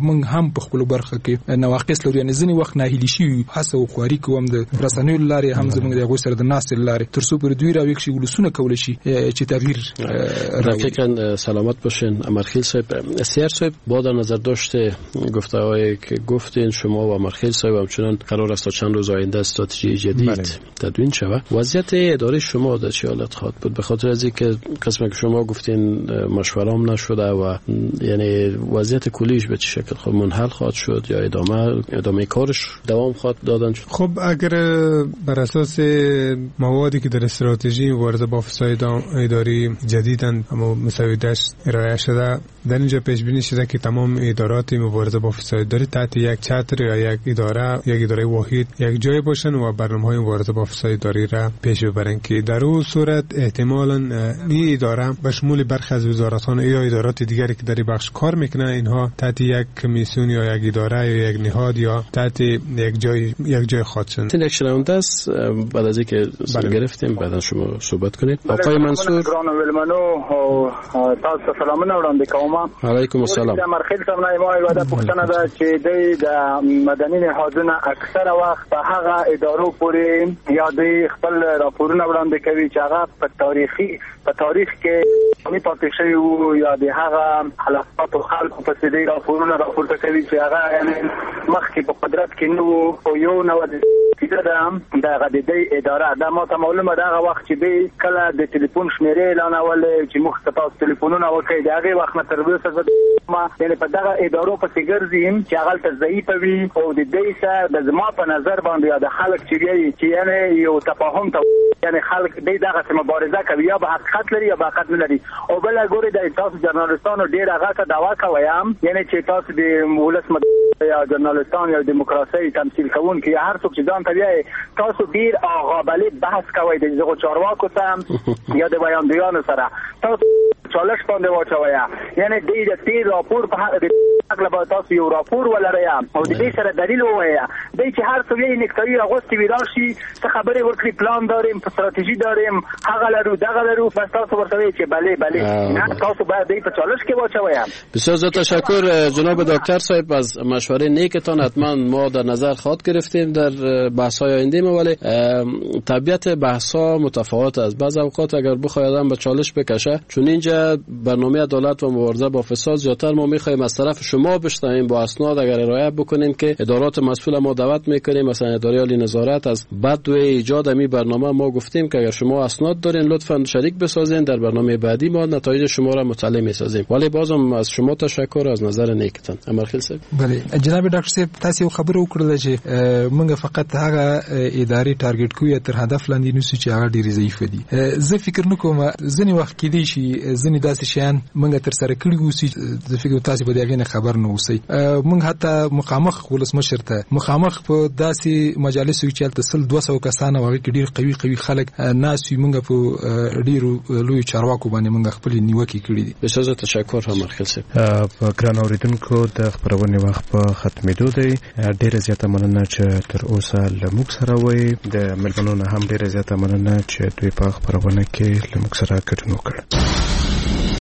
موږ هم په خپلو برخه کې نواقص لرو، یعنې ځینې وخت ناهیلي شوي، هڅه او خواري کوو هم د رسنیو له لارې هم زموږ د هغوی سره د ناستې له لارې، تر څو پورې دوی راویښ شي، ولسونه کولی شي چې تغییر. دقیقاً سلامت باشین امرخیل صاحب. سیر صاحب، با در نظر داشته گفته هایی که گفتین شما و امرخیل صاحب، همچنان قرار است تا چند روز آینده استراتژی جدید بله. تدوین شود. وضعیت اداره شما در چه حالت خواهد بود؟ به خاطر از اینکه قسمی که شما گفتین مشوره هم نشده و یعنی وضعیت کلیش به چه شکل خود منحل خواهد شد یا ادامه ادامه کارش دوام خواهد دادن؟ خب اگر بر اساس موادی که در استراتژی مبارزه با فساد اداری جدیدن اما مسوده‌اش ارائه شده، در اینجا پیش بینی شده که تمام ادارات مبارزه با فساد اداری تحت یک چتر یا یک اداره، یک اداره واحد یک جای باشن و برنامه‌های مبارزه با فساد اداری را پیش ببرن که در اون صورت احتمالاً این اداره به شمول برخی از وزارت‌ها یا ادارات دیگری که در این بخش کار میکنن، اینها تحت یک کمیسیون یا یک اداره یا یک نهاد یا تحت یک جای یک جای خواهد شد. یک شنونده است، بعد از اینکه گرفتیم بعدا شما صحبت کنید. آقای منصور ګرانو ویلمنو تاسو سلامونه وړاندې کوم. علیکم السلام. د امرخیل صاحب نه ما یوه پوښتنه ده چې دوی د مدني نهادونه اکثره وخت په هغه ادارو پورې یا دوی خپل راپورونه وړاندې کوي چې هغه په تاریخي په تاریخ کې نه پاتې شوي وو یا د هغه حالاتو خلکو پسې دوی راپورونه راپورته کوي چې هغه یعنې مخکې په قدرت کې نه وو، خو یو نوع ده دغه د دې اداره دا ما ته معلومه ده هغه وخت چې دوی کله د ټلیفون شمیرې اعلانولې چې موږ ته تاسو ټلیفونونه وکړئ، د هغې وخت نه تر اوسه ما یعنې په دغه ادارو پسې ګرځي چې هغه هلته ضعیفه وي او د دې سره د زما په نظر باندې یا د خلک چې وایي چې یعنې یو تفاهم ته یعنی خلک دی دغه مبارزه کوي، یا به حقیقت لري یا به حقیقت نه لري. او بل ګوري د تاسو ژورنالیستانو ډیر هغه ته دعوا کوي هم، یعنی چې تاسو د ولس یا ژورنالیستان یا دیموکراسي تمثیل کوونکي یا هر څوک چې ځان ته وایي، تاسو ډیر آغابلې بحث کوئ د دغو چارواکو سره یا د ویاندویانو سره، تاسو چالش باندې واچوي. یعنی دی د تیر راپور په حق د باید تاسو یو راپور ولرئ او د دې سره دلیل ووایئ. دی چې هر څه یې نکتایي اغوستې وي راشي څه خبرې ورکړي، پلان داریم، ستراتیژي داریم، هغه لرو دغه لرو، بس تاسو ورته وایئ چې بله بله، نه تاسو باید دی په چالش کې واچوئ. بسیار زیاد تشکر جناب دکتر صاحب از مشوره نیکتان. حتما ما در نظر خواهد گرفتیم در بحث های آینده ما، ولی طبیعت بحث ها متفاوت است. بعض اوقات اگر بخواید آدم به چالش بکشه، چون اینجا برنامه عدالت و مبارزه با فساد زیادتر ما میخوایم از طرف شما بشنویم با اسناد اگر ارائه بکنین که ادارات مسئول ما دعوت میکنیم، مثلا اداره عالی نظارت از بدو ایجاد می برنامه ما گفتیم که اگر شما اسناد دارین لطفاً شریک بسازین، در برنامه بعدی ما نتایج شما را مطلع میسازیم. ولی بازم از شما تشکر از نظر نیکتان. امرخیل صاحب. بله جناب ډاکټر صاحب، تاسو یو خبره وکړله چې موږ فقط هغه ادارې ټارګټ کوو یا تر هدف لاندې نیسو چې هغه ډېرې ضعیفه دي. زه فکر نه کوم ځینې وخت کېدای شي ځینې داسې شیان موږ ترسره کړي اوسي، زه فکر تاسو به د هغې نه خبر نه اوسئ. موږ حتی مخامخ ولسمشر ته مخامخ په داسې مجالسو کې چې هلته سل دوه سوه کسان او هغې کې ډېر قوي قوي خلک ناست وي، موږ په ډېرو لویو چارواکو باندې موږ خپلې نیوکې کړې دي. بسیار زیات تشکر امرخیل صاحب. په ګران اورېدونکو د خپرونې وخت په ختمېدو دی. ډېره زیاته مننه چې تر اوسه له موږ سره وئ. د مېلمنو نه هم ډېره زیاته مننه چې دوی په خپرونه کې له موږ سره ګډون وکړ.